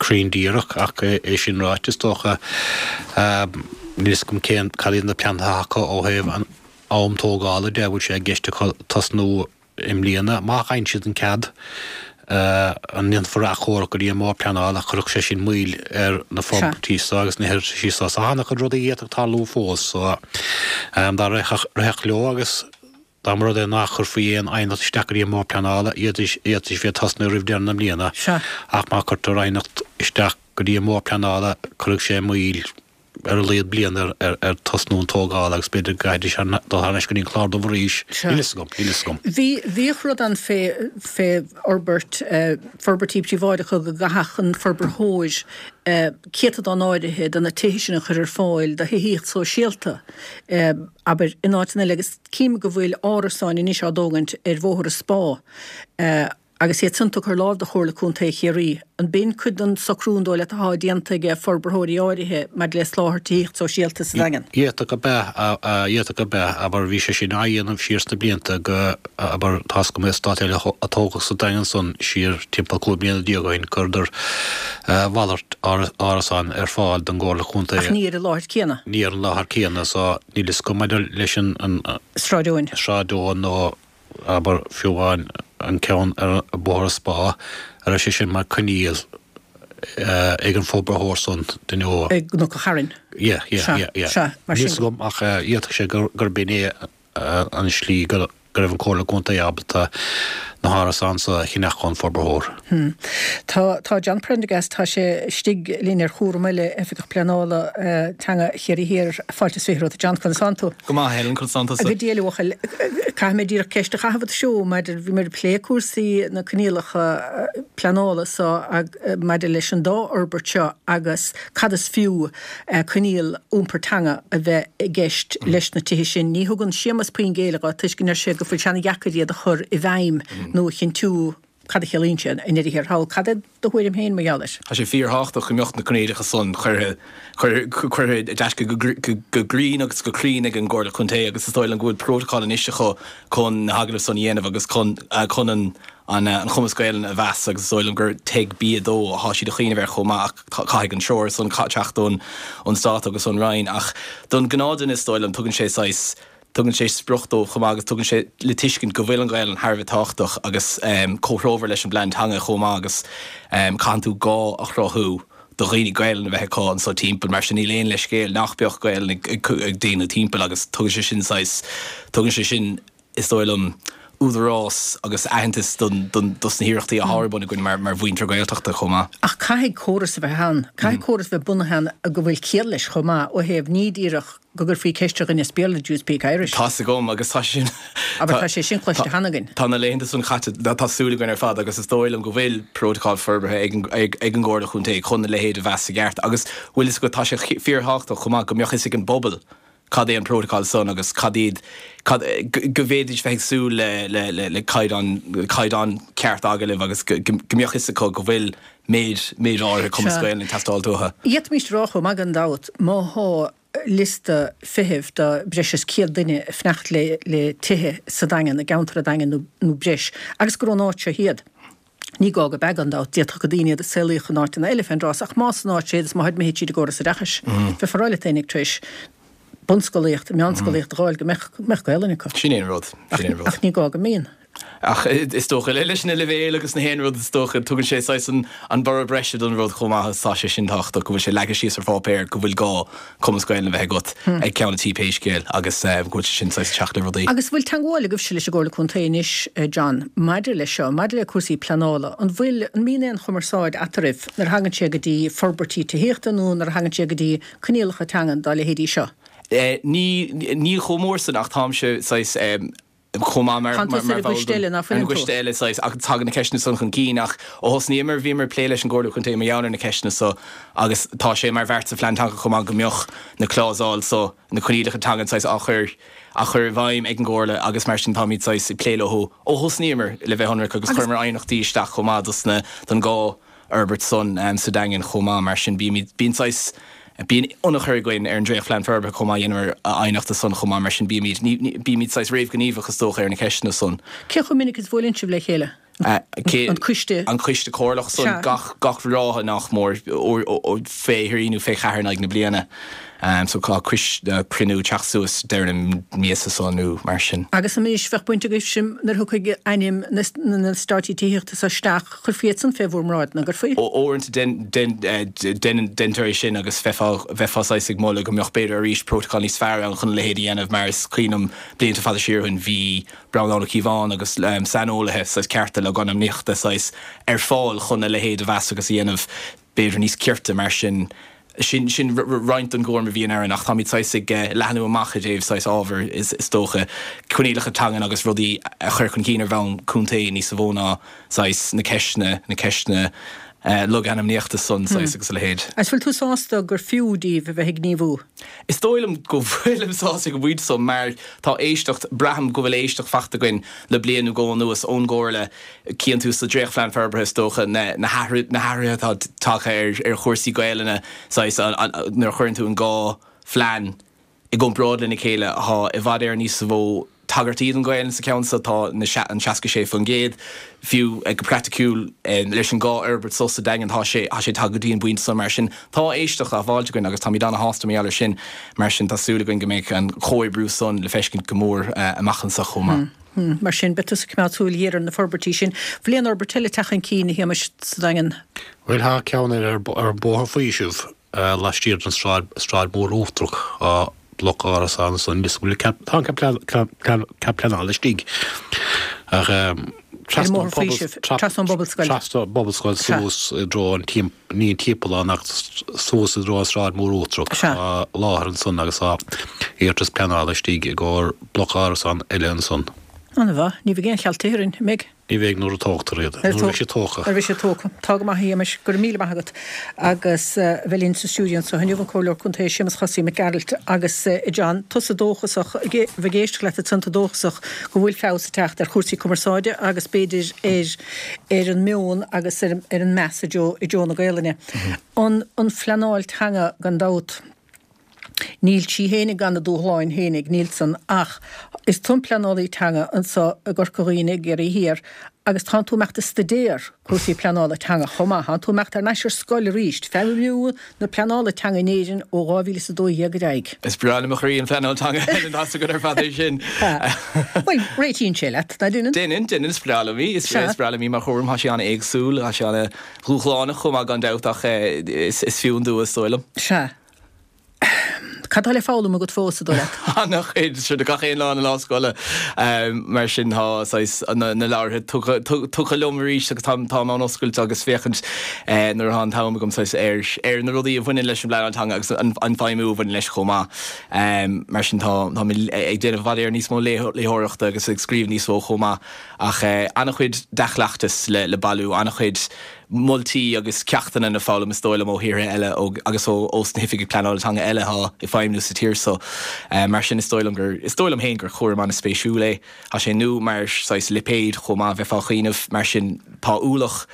cruinn díreach, ach é sin ráite, is dócha, níl fhios agam cén, cad iad na pleananna atá acu ó thaobh an am tógála de, an bhfuil sé i gceist acu tosnú i mbliana, má fhaigheann siad an cead, an ndéanfar achomharc go dtí an mBord Pleanála, chuirfeadh sé sin moill ar na forbairtí seo agus na hiarratais seo. So tá an-chuid rudaí a d'fhéadfadh tarlú fós, so dá rithfeadh leo agus dá mba rud é nach gcuirfí aon aighneacht isteach go dtí an mBord Pleanála, d'fhéadfaidís bheith ag tosnú roimh deireadh na bliana, ach má chuirtear aighneacht isteach go dtí an mBord Pleanála, cuirfidh sé moill ar a laghad bliain ar ar tosnú an tógála agus b'fhéidir go gcaithfidís dul thar n-ais go dtí an Clár Dubh arís. Níl fhios agam, níl fhios agam. Bhí, bhíodh rud ann fé, fé fhorbairt, forbairtí príobháideacha go gcaithfeadh an forbarthóir céatadán áirithe de na tithe sin a chur ar fáil do thithíocht sóisialta, abair, in áiteanna eile agus cím go bhfuil árasáin anois á dtógaint ar Bhóthar an Spá agus iad san tugtha ar láimh do Chomhairle Contae Chiarraí. An b'in cuid den socrú an dóigh leat atá déanta ag forbarthóirí áirithe maidir le soláthar tithíocht sóisialta sa Daingean? D'fhéadfadh go b'ea, d'fhéadfadh go b'ea, abair, bhí sé sin á dhéanamh siar sna blianta go, abair, tá's agam eastát eile a tógadh sa Daingean san siar timpeall cúig bliana déag ó shin, chuireadar mhalairt árasán ar fáil don gComhairle Contae. Ach ní ar an láthair céanna. Ní ar an láthair céanna, so níl fhios agam maidir leis an. Sráid Eoin. Sráid Eoin nó abair fiú amháin an ceann ar Bhóthar an Spá, an raibh sé sin mar coinníoll ag an forbarthóir san den I gCnoc an Chairn. Yeah, yeah, yeah, yeah. Sea, mar sin. Níl fhios agam ach d'fhéadfadh sé gurb in é an slí go go raibh an Comhairle Contae ábalta na hárasáin seo a cheannach ón forbarthóir. Tá tá John Prendergast, tá sé istigh linn ar chúram eile, Oifigeach Pleanála Teanga Chiarraí Thiar. Fáilte is fiche romhat, a John, conas tánn tú? Go maith, a Helen, conas tánn tusa? Go diail, a bhuachaill. Caithfidh mé díreach ceist a chaitheamh ort seo maidir, bhí muid ag plé cúrsaí na coinníollacha pleanála seo maidir leis an dá fhorbairt seo agus cad is fiú coinníoll iompar teanga a bheith i gceist leis na tithe sin. Ní thugann Séamus puinn géilleadh dó toisc go ndeir sé go bhfuil sé ana-dheacair iad a chur i bhfeidhm nó a chinntiú cad a chiallaíonn sé i ndeireadh thiar thall. Cad é do thuairim féin mar gheall air? Tá sé fíorthábhachtach go mbeadh na coinníollacha san curtha curtha i dtaisce go grinn agus go cruinn ag an gComhairle Contae agus is dóigh liom go bhfuil prótacal anois acu chun na hagallaimh san a dhéanamh agus chun chun an an chumas Gaelainne a mheas agus is dóigh liom gur Tigh B a dó atá siad a chuimhneamh air chomh maith ach caithfidh an treoir san teacht ón ón Stát agus ón Roinn ach don ghnáthduine is dóigh liom tugann sé saghas tugann sé sprioc dóibh chomh maith agus tugann sé le tuiscint go bhfuil an Ghaelainn thar a bheith tábhachtach agus comhthreomhar leis an bplean teanga chomh maith agus caitheann tú gá a chruthú do dhaoine Gaelainn a bheith acu anso timpeall mar sin níl aon leithscéal nach mbeadh Gaelainn ag daoine timpeall agus tugann sé sin saghas tugann sé sin is dóigh liom, údarás agus aitheantas don don dos na hiarrachtaí atá ar bun againn mar mar mhuintir Gaeltachta chomh maith. Ach caithfidh córas a bheith ann, caithfidh córas a bheith bunaithe ann go bhfuil ciall leis chomh maith ó thaobh ní díreach go gcuirfí ceist ar dhuine as Béarla do you speak Irish? Tá's agam agus tá sin Abair tá sé sin cloiste cheana againn. Tá na laethanta san caite, tá súil againn ar fad agus is dóigh liom go bhfuil prótacal forbartha ag ag ag an gComhairle Chontae chun a leithéid a mheas i gceart agus bhfuil fhios agat tá sé fíorthábhachtach chomh maith go mbeadh fhios ag an bpobal cad é an prótacal san agus cad iad cad go bhféadfaidís bheith ag súil le le le le caighdeán caighdeán ceart agallaimh agus go go mbeadh fhios acu go bhfuil méid méid áirithe cumas Gaelainne ag teastáil uathu. D'fhéadfaimis a rá chomh maith gan dabht má thá liosta feithimh de breis is céad duine ag fanacht le le tithe sa Daingean, i gceantar an Daingin nó nó breis agus gur ón áit seo iad. Ní gá go beag gan dabht, d'fhéadfadh gur daoine iad a saolaíodh in áiteanna eile fén dtráth, ach más san áit seo iad is má tháid imithe tríd an gcóras oideachais, bheifeá ag rá leat féinig tar éis bunscolaíocht, meánscolaíocht a dh'fháil go mbeadh, go mbeadh Gaelainn acu. Sin é an rud, sin é an rud. Ach ní gá go mbíonn. Ach is dócha, leis na leibhéil agus na haon rud is dócha, tugann sé saghas an, an borradh breise don rud chomh maith agus tá sé sin tábhachtach go bhfuil sé leagtha síos ar pháipéar go bhfuil gá cumas Gaelainne a bheith agat ag ceann an tí pé scéal agus go bhfuil sé sin saghas ag teacht le rudaí. Agus bhfuil teagmháil agaibhse leis an gComhairle Contae anois, John, maidir leis seo, maidir le cúrsaí pleanála, an bhfuil, an mbíonn aon chumarsáid eatarthu nuair a thagann sé go dtí forbairtí tithíochta nó nuair a thagann sé go dtí coinníollacha teangan dá leithéidí seo? Ní, níl chomh mór san ach táimse saghas chomh maith mar, mar, mar bhall den, ar an gcoiste eile saghas ach tagann na ceisteanna san chun cinn ach ó thosnaíomar, bhíomar ag plé leis an gComhairle Contae mar gheall ar na ceisteanna so agus tá sé mar bheart sa phlean teanga chomh maith go mbeadh na clásail so, na coinníollacha teangan saghas á chur, á chur i bhfeidhm ag an gComhairle agus mar sin táimid saghas ag plé leo ó thosnaíomar le bheith ionraic agus chuireamar aighneachtaí isteach chomh maith dos na, don dhá fhorbairt san sa Daingean chomh maith mar sin bímid, bíonn saghas, bíonn ionchur againn ar an dréachtphlean forbartha chomh maith, dheineamar aighneacht san chomh maith mar sin bímid, ní, ní, bímid saghas réamhghníomhach is dócha ar na ceisteanna san. Cé chomh minic is a bhuaileann sibh le chéile? An coiste? An coiste comhairleach san, gach, gach ráithe nach mór, uair, fé thrí nó fé cheathair in aghaidh na bliana. So tá cruinniú ag teacht suas deireadh na míosa so nó mar sin. Agus anois bheadh baint agaibhse nuair a thiocfaidh ainm na n-eastáití tithíochta so isteach, chuirfí iad san fé bhur mbráid, nach gcuirfí? Ó uaireanta deintear é sin agus bheifeá bheifeá saghas ag moladh go mbeadh b'fhéidir arís prótacal níos fearr ann chun a leithéid a dhéanamh mar is cuimhin liom blianta fada siar ó shin bhí Breandán Ó Cíobháin agus saineolaithe saghas cearta logainmníochta saghas ar fáil chun a leithéid a mheas agus a dhéanamh b'fhéidir níos cirte mar sin Sin, sin roinnt den gcúram a bhíonn orainn ach táimid saghas ag leathnú amach i dtaobh saghas ábhar is dócha, coinníollacha teangan agus rudaí a chur chun cinn ar bhonn contae níos mó ná saghas na ceisteanna, na ceisteanna logainmníochta san saghas agus a leithéid. Agus bhfuil tú sásta gur fiú daoibh a bheith ag gníomhú? Is dóigh liom go bhfuilim sásta go bhfuil so mar tá éisteacht, braithim go bhfuil éisteacht faighte againn le bliain nó dhó anuas ón gComhairle, Cíonn tú sa dréachtphlean forbartha is dócha na hathruithe atá tagtha ar chúrsaí Gaelainne, saghas, nuair a chuireann tú an dhá phlean i gcomparáid lena chéile, tá i bhfad Éireann níos mó tagairtí don Ghaelainn sa cheann seo, tá na an seasca sé faoin gcéad, fiú go praiticiúil leis an dhá fhorbairt so sa Daingean, tá sé tá sé tagtha go dtí an bpointe so mar sin tá éisteacht á fáilt againn agus táimid ana-shásta mar gheall air sin, mar sin tá súil againn go mbeidh an comhoibriú san le feiscint go mór amach anseo chomh maith. Mar sin, beidh tusa ag coimeád súil ghéar ar na forbairtí sin. Bhfuil aon fhorbairt eile ag teacht chun cinn, a Shéamais, sa Daingean? Bhuel, tá ceann eile ar an Bóthar Faoisimh laistiar den Sráid, Sráid Mhór Uachtarach. Tá bloc árasán ansan anois go bhfuil tá an cead pleanála istigh. Ach trasna an Phobalscoil. Trasna an Phobalscoil suas i dtreo an ní an Timpeallán ach suas i dtreo an Sráid Mhór Uachtarach. Tá láthair ansan agus tá iarratas pleanála istigh i gcomhair bloc árasán eile ansan. An-mhaith. Ní bheidh aon cheal tithe orainn, an mbeidh? Ní bheidh nuair a tógtar iad. Nuair a bheidh siad tógtha. Nuair a bheidh siad tógtha. Tá go maith, a Shéamais. Go raibh míle maith agat. Agus a bheith linn sa stiúideo anseo inniu, an Comhairleoir Contae Séamus Chosaí Mac Gearailt agus John, tusa dóchasach, ag éisteacht leat ansan, tú dóchasach go bhfuil feabhas ag teacht ar chúrsaí cumarsáide agus b'fhéidir ar ar an meon agus ar ar an meas i dtreo i dtreo na Gaelainne. An an phleanáil teanga gan dabht. Níl sí fhéinig gan a dúshláin fhéinig, níl san, ach is tú an pleanálaí teanga anso i gCorca Dhuibhne, i gCiarraí Thiar, agus tánn tú imeacht ag staidéar cúrsaí pleanála teanga chomh maith, tánn tú imeacht thar n-ais ar scoil arís, feidhmiú na pleanála teanga in Éirinn ó dhá mhíle is a dó dhéag ar aghaidh. Is breá liom a chroí an phleanáil teanga, Helen, tá's agat ar fad é sin. Bhuel, réitíonn sé leat, ná deineann? Deineann, deineann, is breá liom í, is breá liom í mar chúram, tá sí an-éagsúil, tá sí an-dhúshlánach chomh maith gan dabht ach is fiú an dua is dóigh liom. Sea. Cad tá le foghlaim agat fós, an dóigh leat? An-chuid, sure de gach aon lá ina lá scoile. Mar sin tá saghas na leabhartha tugtha liom arís agus táim ann oscailt agus féachaint nuair atá an t-am agam saghas ar ar na rudaí a bhaineann leis an bpleanáil teanga agus an feidhmiú a bhaineann leis chomh maith. Mar sin tá tá mé ag déanamh i bhfad éireann níos mó léitheoireachta agus ag scríobh níos mó chomh maith ach an-chuid dea-chleachtas le le bailiú, an-chuid moltaí agus ceachtanna le foghlaim is dóigh liom ó thíortha eile agus ó os na hoifigigh pleanála teanga eile atá ag feidhmiú sa tír so. Mar sin is dóigh liom gur, is dóigh liom féin gur chúram an-spéisiúil é. Tá sé nua mar saghas lipéad chomh maith, bheifeá ag cuimhneamh, mar sin tá ualach,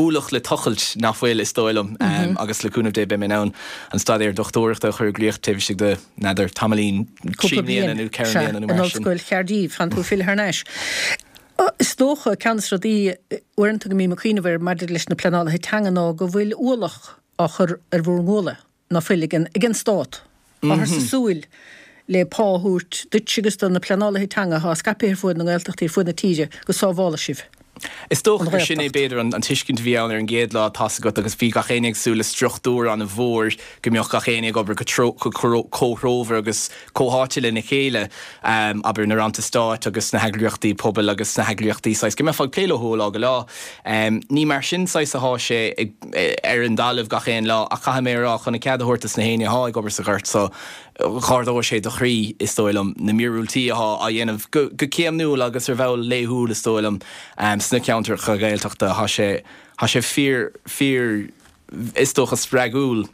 ualach le tochailt nach bhfuil is dóigh liom agus le cúnamh Dé beidh mé in ann an staidéar dochtúireachta a chur i gcrích taobh istigh de, n'fheadar, tamaillín, trí bliana nó ceithre bliana nó mar sin. In Ollscoil Chaerdydd, tánn tú ag filleadh thar n-ais. Is dócha, ceann de na rudaí uaireanta go mbím ag cuimhneamh air maidir leis na pleanálaithe teanga ná go bhfuil ualach á chur ar bhur nguaille, ná fuil, ag an, ag an Stát. Táthar sa súil le pá a thabhairt duit agus do na pleanálaithe teanga atá scaipthe ar fuaid na nGaeltachtaí ar fuaid na tíre go sábhálfaidh sibh Is dócha gur sin é b'fhéidir an tuiscint a bhí ann ar an gcéad lá, tá's agat, agus bhí gach éinne ag súil le struchtúr an-mhór, go mbeadh gach éinne ag obair go comhthreomhar agus comhtháite lena chéile, abair, na rannta stáit agus na heagraíochtaí pobail agus na heagraíochtaí saghas, go mbeifeá ag plé leo ó lá go lá. Ní mar sin saghas atá sé ar an dtalamh gach aon lá ach caithfidh mé a rá, chun an cead a thabhairt dos na héinne atá ag obair sa ghort so, Dh'ardódh sé do chroí, is dóigh liom, na míorúiltí atá á dhéanamh go céimniúil agus ar bhonn laethúil, is dóigh liom, sna ceantracha Gaeltachta. Tá sé, tá sé fíor, fíor, is dócha, spreagúil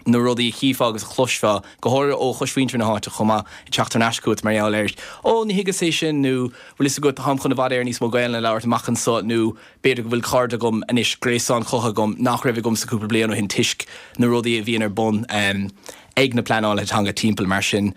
na rudaí a chífeá agus a chloisfeá, go háirithe ó choismhuintir na háite chomh maith, ag teacht thar n-ais chugat mar gheall ar, Ó, ní thuigeas é sin, nó Bhfuil fhios agat, táim chun i bhfad Éireann níos mó Gaelainne a labhairt amach anso, nó B'fhéidir go bhfuil cairde agam anois, gréasán cothaithe agam nach raibh agam sa cúpla bliain ó shin toisc na rudaí a bhíonn ar bun. ag na pleanálaithe teanga timpeall mar sin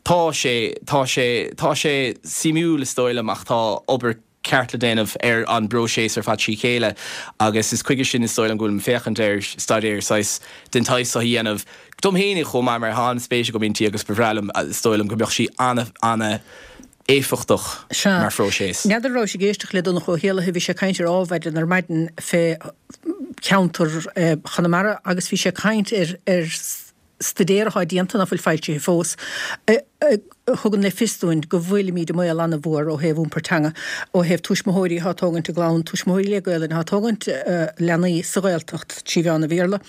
tá sé, tá sé, tá sé suimiúil is dóigh liom ach tá obair ceart le déanamh ar an bpróiseas ar fad trí chéile agus is chuige sin is dóigh liom go bhfuilim ag féachaint ar staidéar saghas den tsaghas seo a dhéanamh dom fhéinig chomh maith mar tá an-spéis agam inti agus ba bhreá liom is dóigh liom go mbeadh sí an-, an-éifeachtach Sea. mar phróiseas. N'fheadar an rabhais ag éisteacht le Donncha Ó hÉallaithe, bhí sé ag caint ar ádhmhaidin ar maidin fé cheantar Chonamara agus bhí sé ag caint ar ar staidéar atá déanta, ná fuil foilsithe fós, a thugann le fios dúinn go bhfuilimid i mbaol an-mhór ó thaobh iompar teanga, ó thaobh tuismitheoirí atá ag tógaint a gclann, tuismitheoirí le Gaelainn atá ag tógaint leanaí sa Ghaeltacht trí mheán an Bhéarla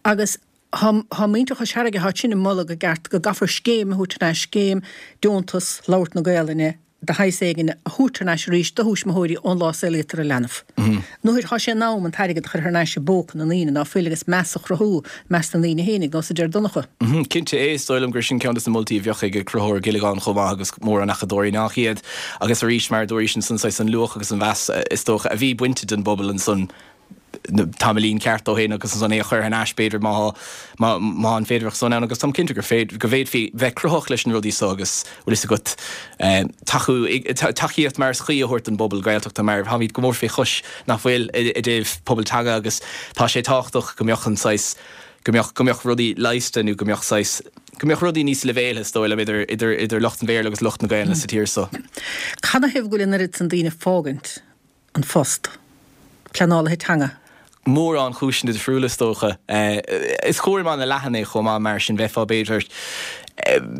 agus tá tá muintir Chois Fharraige atá sin ag moladh go gceart go gcaithfear scéim a thabhairt thar n-ais, scéim deontas labhairt na Gaelainne de shaghas éigin a thabhairt thar n-ais arís do thuismitheoirí ón lá a saolaítear an leanbh. Nuair thá sé in am an t-airgead a chur thar n-ais i bpóca na ndaoine ná fuil agus meas a chruthú i measc na ndaoine fhéinig, nós a deir Donncha. Cinnte é, is dóigh liom gur sin ceann de na moltaí a bheadh ag Conchúr Ó Giollagáin chomh maith agus mórán acadóirí nach iad. Agus arís, mar a dúraís ansan, saghas an luach agus an mheas is dócha a bhí bainte den bpobal ansan, tamaillín ceart ó shin agus ansan é a chur thar n-ais b'fhéidir má má má an féidireacht san ann agus táim cinnte gur féidir go bhféadfaí bheith cruthaitheach leis na rudaí so agus bhfuil fhios agat tacú tacaíocht mar is cuí a thabhairt don bpobal Gaeltachta mar táimid go mór fé chois nach bhfuil i dtaobh pobal teanga agus tá sé tábhachtach go mbeadh an saghas go mbeadh go mbeadh rudaí leigheasta nó go mbeadh saghas go mbeadh rudaí níos leibhéaltha is dóigh liom idir idir idir lucht an Bhéarla agus lucht na Gaelainne sa tír so. Canathaobh go bhfuil an oiread san daoine ag fágaint an phost? Pleanálaithe teanga. Mórán cúiseanna difriúla is dócha. Is cúram an-leathan é chomh maith mar sin bheifeá b'fhéidir,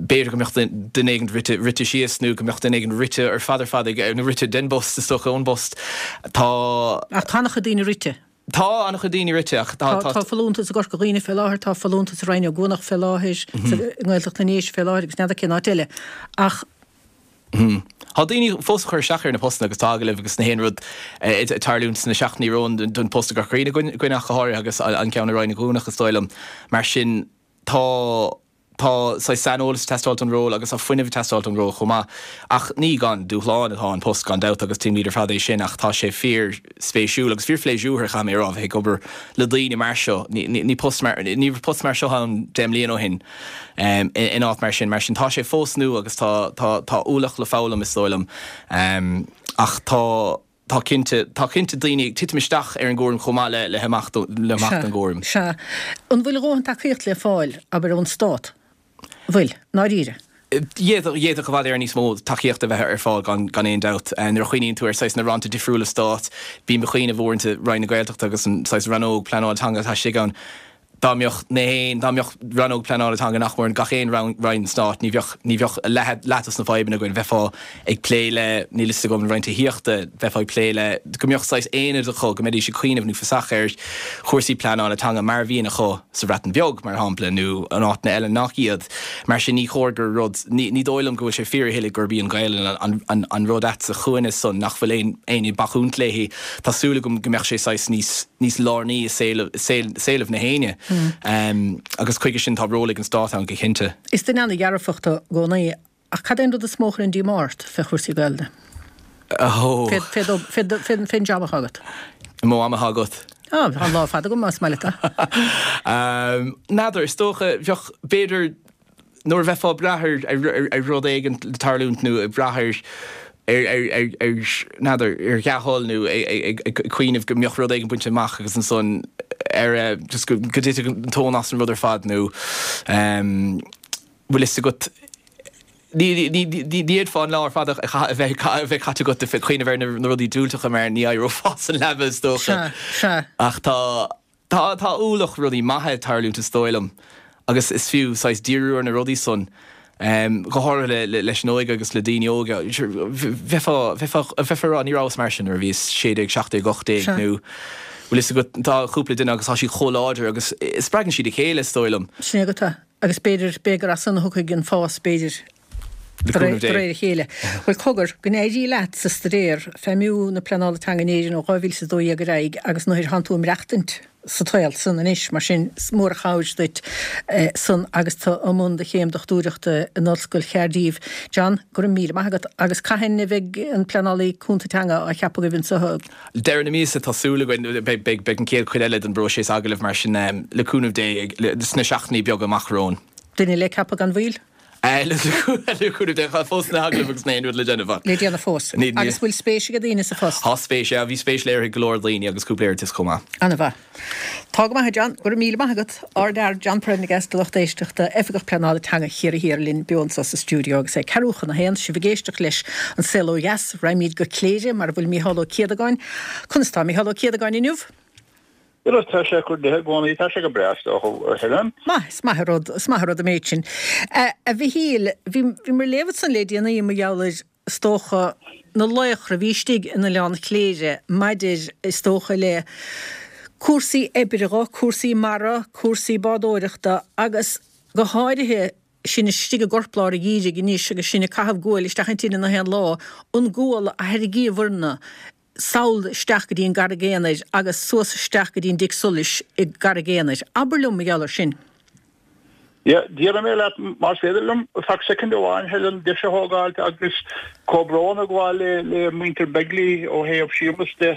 b'fhéidir go mbeadh duine éigin rite, rite síos nó go mbeadh duine éigin rite ar fad ar fad ag, nó rite den bpost is dócha, ón bpost. Tá. Ach tá an-chuid daoine rite. Tá an-chuid daoine rite ach tá, tá. Tá folúntas i gCorca Dhuibhne fé láthair, tá folúntas i Rinn Ó gCuanach fé láthair, i nGaeltacht na nDéise fé láthair agus n'fheadar cén áit eile. Ach. Tá daoine fós ag cur isteach ar na postanna agus tá agallaimh agus na haon rud ag tarlúint sna seachtainí romhainn don post i gCorca Dhuibhne ach go háirithe agus an ceann i Rinn Ó gCuanach is dóigh liom. Mar sin tá tá saghas saineolas ag teastáil don ról agus tá fuinneamh ag teastáil don ról chomh maith. Ach ní gan dúshláin atá an post gan dabht agus tuigimid ar fad é sin ach tá sé fíor spéisiúil agus fíor phléisiúrtha caithfidh mé a rá bheith ag obair le daoine mar seo. Ní ní post mar ní raibh post mar seo ann deich mbliana ó shin. in áit mar sin. Mar sin, tá sé fós nua agus tá, tá, tá ualach le foghlaim, is dóigh liom. Ach tá, tá cinnte, tá cinnte daoine ag titim isteach ar an gcúram chomh maith le, le himeacht, le himeacht Sea, ón gcúram. sea. An bhfuil a dhóthain tacaíocht le fáil, abair, ón Stát? Bhfuil, ndáiríre? D'fhéadfadh, d'fhéadfadh i bhfad Éireann níos mó tacaíochta a bheith ar fáil gan, gan aon dabht. Nuair a chuimhníonn tú ar saghas na rannta difriúla stáit, bím ag cuimhneamh uaireanta Roinn na Gaeltachta agus an saghas rannóg pleanáil teanga atá istigh ann. dá mbeadh na haon dá mbeadh rannóg pleanála teanga nach mór in gach aon roinn stáit, ní bheadh ní bheadh leath leath dos na fadhbanna againn. Bheifeá ag plé le, níl fhios agam, an Roinn Tithíochta, bheifeá ag plé le, go mbeadh saghas aonad acu, go mbeidís ag cuimhneamh nó feasach ar chúrsaí pleanála teanga mar a bhíonn acu sa Bhreatain Bheag, mar shampla, nó in áiteanna eile nach iad. Mar sin ní chóir gur rud, ní ní dóigh liom go bhfuil sé fíor a thuilleadh gurb í an Ghaelainn an an an rud ait sa chúinne san nach bhfuil aon éinne ag bacúint léi. Tá súil agam go mbeadh sé saghas níos níos lárnaí i saol saol na héinne. Agus chuige sin tá ról ag an stát ann go cinnte. Is duine an-dhearfach tú i gcónaí, ach cad é an rud is mó a chuireann díomá ort fé chúrsaí Gaeilge? Fén jab atá agat. Mo am atá agat. Tá an lá fada agam más maith leat é. N'fheadar, is dócha, bheadh, b'fhéidir, nuair a bheifeá ag brath ar rud éigin le tarlúint nó ag brath ar ar n'fheadar, ar dhea-thoil nó ag cuimhneamh go mbeadh rud éigin bainte amach agus ansan ar just go dtitfeadh an tóin as an rud ar fad nó bhfuil fhios agat ní fhéadfá an lá ar fad a bheith caite agat ag cuimhneamh ar na rudaí diúltacha mar ní éireofá as an leaba is dócha. Ach tá Tá, tá ualach rudaí maithe ag tarlúint is dóigh liom agus is fiú saghas díriú ar na rudaí san, go háirithe le, leis an óige agus le daoine óga. Bheifeá, bheifeá, bheifeá ag rá ní rabhas mar sin nuair a bhíos sé déag, seacht déag, ocht déag nó bhfuil fhios agat, tá cúpla duine agus tá siad chomh láidir agus spreagann siad a chéile is dóigh liom. Sin é agat é. Agus b'fhéidir, b'fhéidir gur as san a thiocfaidh an fás, b'fhéidir. Le cúnamh De Dé. réir a chéile. Bhuel, cogar, go n-éirí leat sa staidéar, feidhmiú na pleanála teanga in Éirinn ó dhá mhíle is a dó dhéag ar aghaidh agus nuair thánn tú ag maireachtaint sa tsaol san anois, mar sin, is mór an chabhair duit san agus tú i mbun do chéim dochtúireachta in Ollscoil Chaerdydd. John, go raibh míle maith agat. Agus cathain a bheidh an pleanálaí cúnta teanga á cheapadh agaibh anseo? Deireadh na míosa, tá súil againn. Beidh beidh an chéad chuid eile den bpróiseas agallaimh mar sin, le cúnamh Dé, sna seachtainí beaga amach romhainn. Duine le ceapadh gan mhoill? Le cúnamh Dé, tá fós na hagallaimh agus na haon rud le déanamh ach. Le déanamh fós. Agus bhfuil spéis ag daoine sa phost? Tá spéis, yeah. Bhí spéis léirithe ag go leor daoine agus cúpla iarratas chomh maith. An-mhaith. Tá go maith, a John. Go raibh míle maith agat. Ardfhear John Prendergast, a lucht éisteachta, Oifigeach Pleanála Teanga Chiarraí Thiar linn beo anseo sa stiúideo agus é ceathrú chun a haon. Sibh ag éisteacht leis An Saol Ó Dheas. Raghaimid go Cléire mar a bhfuil Mícheál Ó Céadagáin. Conas tá Mícheál Ó Céadagáin inniu? Bhuel, tá sé ag cur nithe i gcónaí, tá sé go breá is dócha, a Helen. Maith, is maith an rud, is maith an rud an méid sin. A Mhichíl, bhí, bhíomar ag léamh ansan le déanaí mar gheall ar, is dócha, na laochra a bhí istigh in Oileán Chléire maidir, is dócha, le cúrsaí oibre dho, cúrsaí mara, cúrsaí bádóireachta agus go háirithe sinn istigh i gcorplár an gheimhridh anois agus sinn ag caitheamh guail isteach an tine na haon lá, an gual a tháirgíobharna sall isteach go dtí an gCarraig Aonair agus suas isteach go dtí an Dic Solais i gCarraig Aonair. Abair liom mar gheall air sin. Yeah, déarfaidh mé leat, más féidir liom, feadh soicind amháin, Helen, deis a thógáilt agus comhbhrón a ghabháil le le muintir Begley ó thaobh Séamus de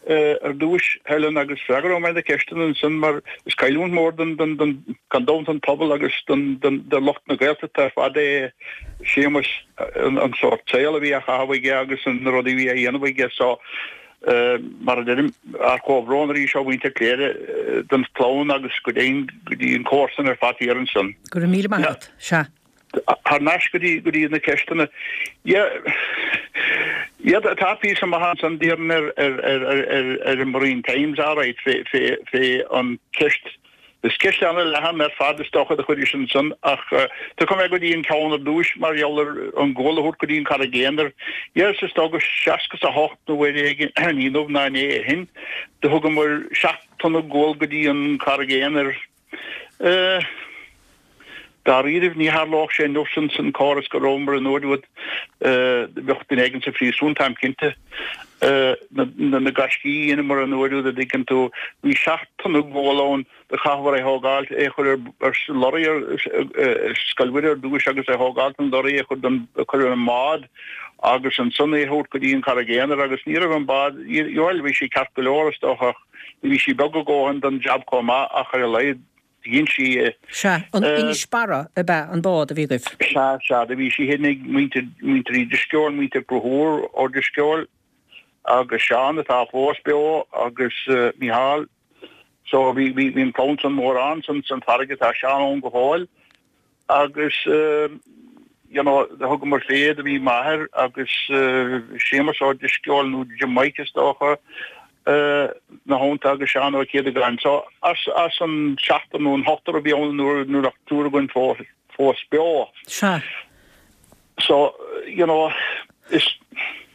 ar dtúis, Helen, agus freagróidh mé na ceisteanna ansan mar is cailliúint mór don don don gan dabht don pobal agus don don do lucht na Gaeltachta ar fad é Séamus, an sórt saol a bhí á chaitheamh aige agus na rudaí a bhí á dhéanamh aige so mar a deirim, ár comhbhrón arís ó mhuintir Chléire don chlann agus go deimhin go dtí an comharsan ar fad thiar ansan. Go raibh míle maith agat. Sea. Thar n-ais go dtí go dtí na ceisteanna. Yeah, yeah tá píosa maith ansan déarfainn ar ar ar ar ar an Marine Times alright fé fé fé an ceist Is ceist ana-leathan ar fad is dócha do chuiris ansan ach tiocfaidh mé go dtí an ceann ar dtúis mar gheall ar an gual a thabhairt go dtí an Charraig Aonair. Yes, is dócha seasca 's a hocht nó uair éigin, ní inniu ná inné ó shin, do thugamar seacht tonna gual go dtí an Charraig Aonair. Dáiríribh, ní tharlódh sé inniu san san córas go rabhamar an uair úd. Bheadh duine éigin sa phríosún, táim cinnte. Na na gaiscí a dheineamar an uair úd, a dtuigeann tú. Bhí seacht tonna gual ann, do chaitheamar é thógáilt, é a chur ar ar lorry ar Scoil Mhuire ar dtúis agus é thógáilt an lorry é chur don chur ar an mbád agus ansan é thabhairt go dtí an Charraig Aonair agus ní raibh an bád, bhuel, bhí sí ceart go leor is dócha ach ní bhí sí beag a dhóthain don jab chomh maith ach ar a laghad Dhein sí é. Sea, an Inis Barra ab ea an bád a bhí agaibh? Sea, sea, do bhí sí féin ag muintir, muintir Uí Drisceoil, muintir Conchúr Ó Drisceoil agus Seán atá fós beo agus Micheál. So bhí, bhí, bhí an clann san mórán san, san farraige, tá Seán ann go fóill agus you know, do thugamar fé, do bhí m'athair agus Séamus Ó Drisceoil nó Jim Mike is dócha, na thonnta agus Seán Ó Céadagáin. So as as an seachtar nó an hochtar a bhí ann nuair nuair nach triúr againn fós fós beo. Sea. So, you know, is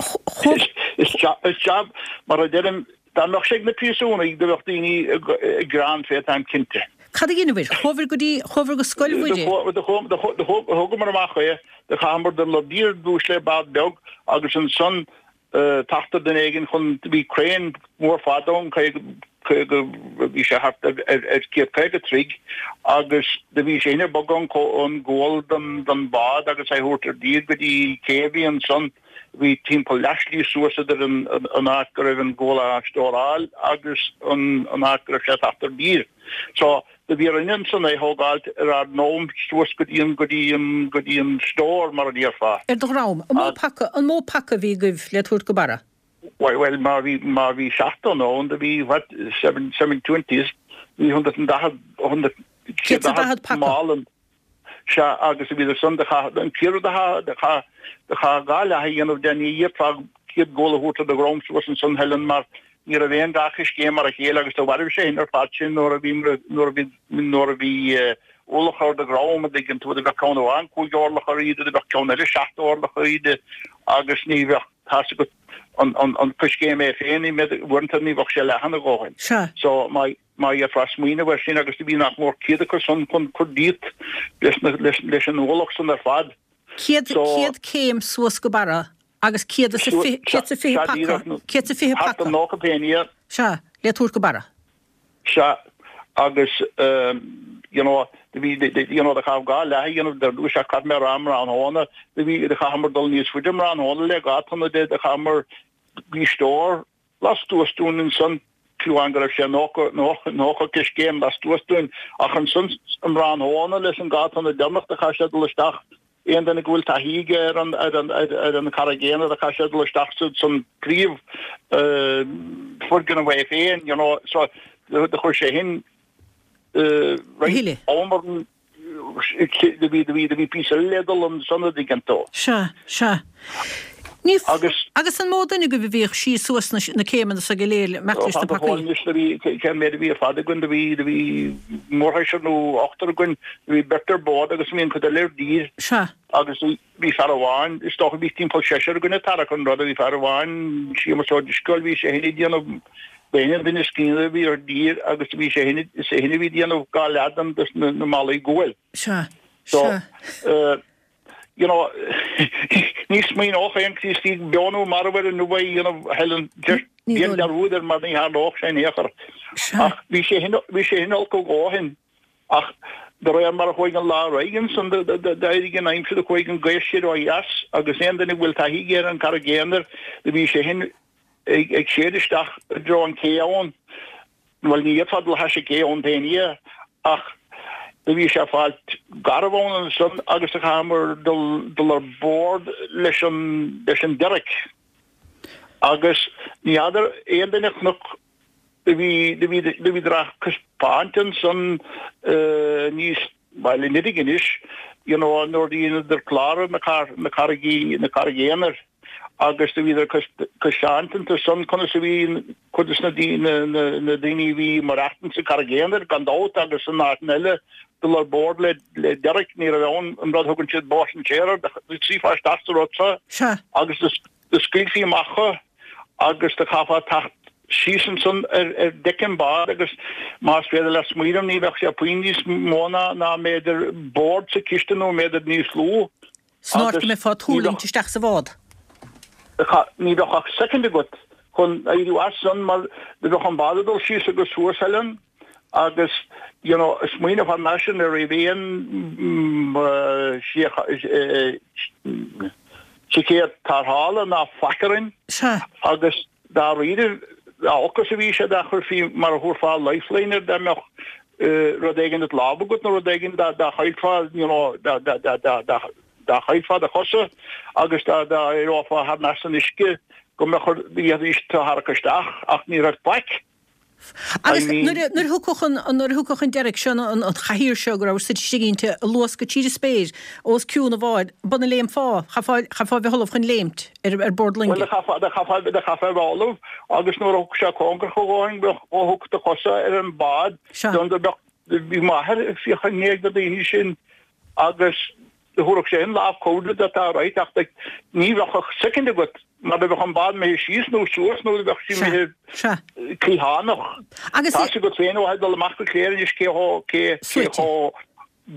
Chomh. is is jab mar a deirim dá mbeadh sé ag na príosúnaigh do bheadh daoine ag gearán fé táim cinnte. Cad a dheineabhair? Chuabhair go dtí, chuabhair go Scoil Mhuire? Do thugamar amach é, do chaitheamar dul ar dtír ar dtúis le bád beag agus ansan teacht ar duine éigin chun, bhí craen mór fada ann, caoga, caoga, bhí sé thart ar, ar, ar céad caoga troigh agus do bhí sé sin ag bogadh an gual don, don bád agus é thabhairt ar dtír go dtí cé a bhí ansan. Bhí timpeall leathshlí suas idir an, an áit go raibh an gual á stóráil agus an, an áit go raibh sé ag teacht ar dtír. So, do bhí orainn ansan é thógáilt ar ár ndroim suas go dtí an, go dtí an, go dtí an stór, mar a déarfá. Ar do dhroim. An mó paca, an mó paca a bhí agaibh le tabhairt go barra? Bhuel, bhuel, má bhí, má bhí seachtó ann, do bhí, what, seven, seven twenties, bhí hundred and daichead, hundred, Céad is daichead paca. mála. Sea, agus do bhíodar san, do chaith, an chéad rud a chaith, do chaith, do chaith dhá leath a dhéanamh de, ní fhéadfá céad gual a thabhairt ar do dhroim suas ansan, Helen, mar ní raibh aon dá choiscéim mar a chéile agus do mhairbh sé sinn ar fad sin nuair a bhí, nuair a bhí, nuair a bhí ualach ar do dhroim, an dtuigeann tú, do bheadh ceann amháin cúig orlach ar airde, do bheadh ceann eile seacht orlach ar airde agus ní bheadh, tá's agat, an, an, an coiscéim é féin, ní, uaireanta ní bheadh sé leathan a dhóthain. Sea. So, má, má dhéanfá smaoineamh air sin agus do bhí nach mór céad acu san chun cur díot leis na, leis, leis an ualach san ar fad. Céad, So, céad céim suas go barra agus céad is a Sea, fiche, céad is a fiche sea, paca, díreach, nó céad is a fiche thart paca. ar nócha féin, yeah. Sea, le tabhairt go barra. Sea, agus ehm, you know, do bhí, you know, do chaith dhá leath a dhéanamh ar dtús ach caithfidh mé a rá i mBránthóna, do bhí, do chaitheamar dul níos faide i mBránthóna le dhá tonna de, do chaitheamar, bhí stór lastuas dúinn ansan, fiú amháin go raibh sé nócha, nócha, nócha coiscéim lastuas dúinn, ach ansan i mBránthóna leis an dhá tonna deireanach do chaith sé dul isteach, aon duine go bhfuil taithí aige ar an, ar an, ar, ar an Charraig Aonair, do chaith sé dul isteach sa, san príomh, eh, foirgneamh é féin, you know, so do, do chuir sé shin, eh, A thuilleadh. am orainn, do bhí, do bhí, do bhí píosa eile le dul ansan an dtuigeann tú. Sea, sea. Ní f- Agus Agus an mó duine agaibh a bhíodh síos suas na, na céimeanna so go léir le imeacht leis na Tá pacaí? anois do bhí cén méid a bhí ar fad againn, do bhí do bhí mórsheisear nó ochtar againn, do bhí beirt ar bord agus bhí an chuid eile ar dtír Sea. agus bhí fear amháin, is dócha bhí timpeall seisear againn ag tarrac an ruda, bhí fear amháin, Séamus Ó Drisceoil, bhí sé féin ag déanamh, b'é an duine is cinnte a bhí ar dtír agus bhí sé féin, is é féin a bhí ag déanamh dhá leath den des na, na málaí guail. Sea. So, Sea. uh, you know, ní smaoineodh aon Chríostaí beo nó marbh ar an uaigh, you know, Helen, just Ní déan dóigh. dearúd air mar ní tharlódh sé in aon chor. Sea. Ach bhí sé hin, bhí sé hin olc a dhóthain. Ach de réir mar a chuaigh an lá ar aghaidh ansan, d'éirigh an aimsir, do chuaigh an ghaoth siar ó dheas agus aon duine a bhfuil taithí aige ar an Charraig Aonair, do bhí sé hin ag, ag séideadh isteach i dtreo an ché ann. Bhuel, ní fhéadfá dul thais an ché ann féin é, ach do bhí sé ag fáilt garbh ann ansan agus do chaitheamar dul, dul ar bord leis an, leis an derrick. Agus ní fheadar aon duine a chonaic, do bhí, do bhí, do bhíodar á taispeáint ansan, níos, bhuel, in Oirthir anois, you know, nuair a dheineadar clár ar na car, na carraigí, na Carraig Aonair. Agus do bhíodar ag taispeáint ansan conas a bhí cuid de na daoine a bhí ag maireachtaint sa Charraig Aonair, gan dabht, agus in áiteanna eile, dul ar bord le derrick, ní raibh ann an rud a thugann siad bosun chair air, do suífeá isteach sa rud seo Sea. agus do scaoilfí amach thú agus do chaithfeá teacht síos ansan ar deic an bád agus más féidir leat smaoineamh ní bheadh sé puinn níos mó ná ná mb'fhéidir bord sa chistin nó mb'fhéidir níos lú. San áit go Agus mbeifeá ag ní tuirlingt bheadh isteach sa bhád. Ní bheadh ach soicind agat chun éirí as san mar do bheadh an bád ag dul síos agus suas Helen agus you know smaoineamh thar n-ais ní raibh aon ticéad tarrthála ná faic orainn Sea. agus dáiríre dá olcas a bhí sé dá chuirfí mar a thabharfá lifeline air dá mbeadh rud éigin id lámh agat nó rud éigin dá dá chaillfeá you know dá dá dá dá dá dá chaillfeá do chosa agus dá dá éireofá thar n-ais san uisce go mbeadh d'fhéadfaidís tú a tharrac isteach ach ní raibh faic. Agus nuair a thiocfadh an, nuair a thiocfadh an derrick seo, an chathaoir seo go rabhais suite istigh inti, a luascadh tríd an spéir os cionn an bháid, b'ionann léimfeá, chaithfeá, chaithfeá a bheith ullamh chun léimt ar, ar bord loinge. Bhuel, chaithfeá, chaithfeá, chaithfeá a bheith ullamh agus nuair a thiocfadh sé cóngarach a dhóthain, bheadh, thiocfadh do chosa ar an bhád, don, bheadh, bhí m'athair ag féachaint i ndiaidh na daoine sin agus do thabharfadh sé an lámh cabhair duit alright ach like ní bheadh ach soicind agat mar do bheadh an bád imithe síos nó suas nó do bheadh sí imithe cliathánach. Agus Tá sé agat féin ó dul amach go Cléire anois cé chomh cé cé chomh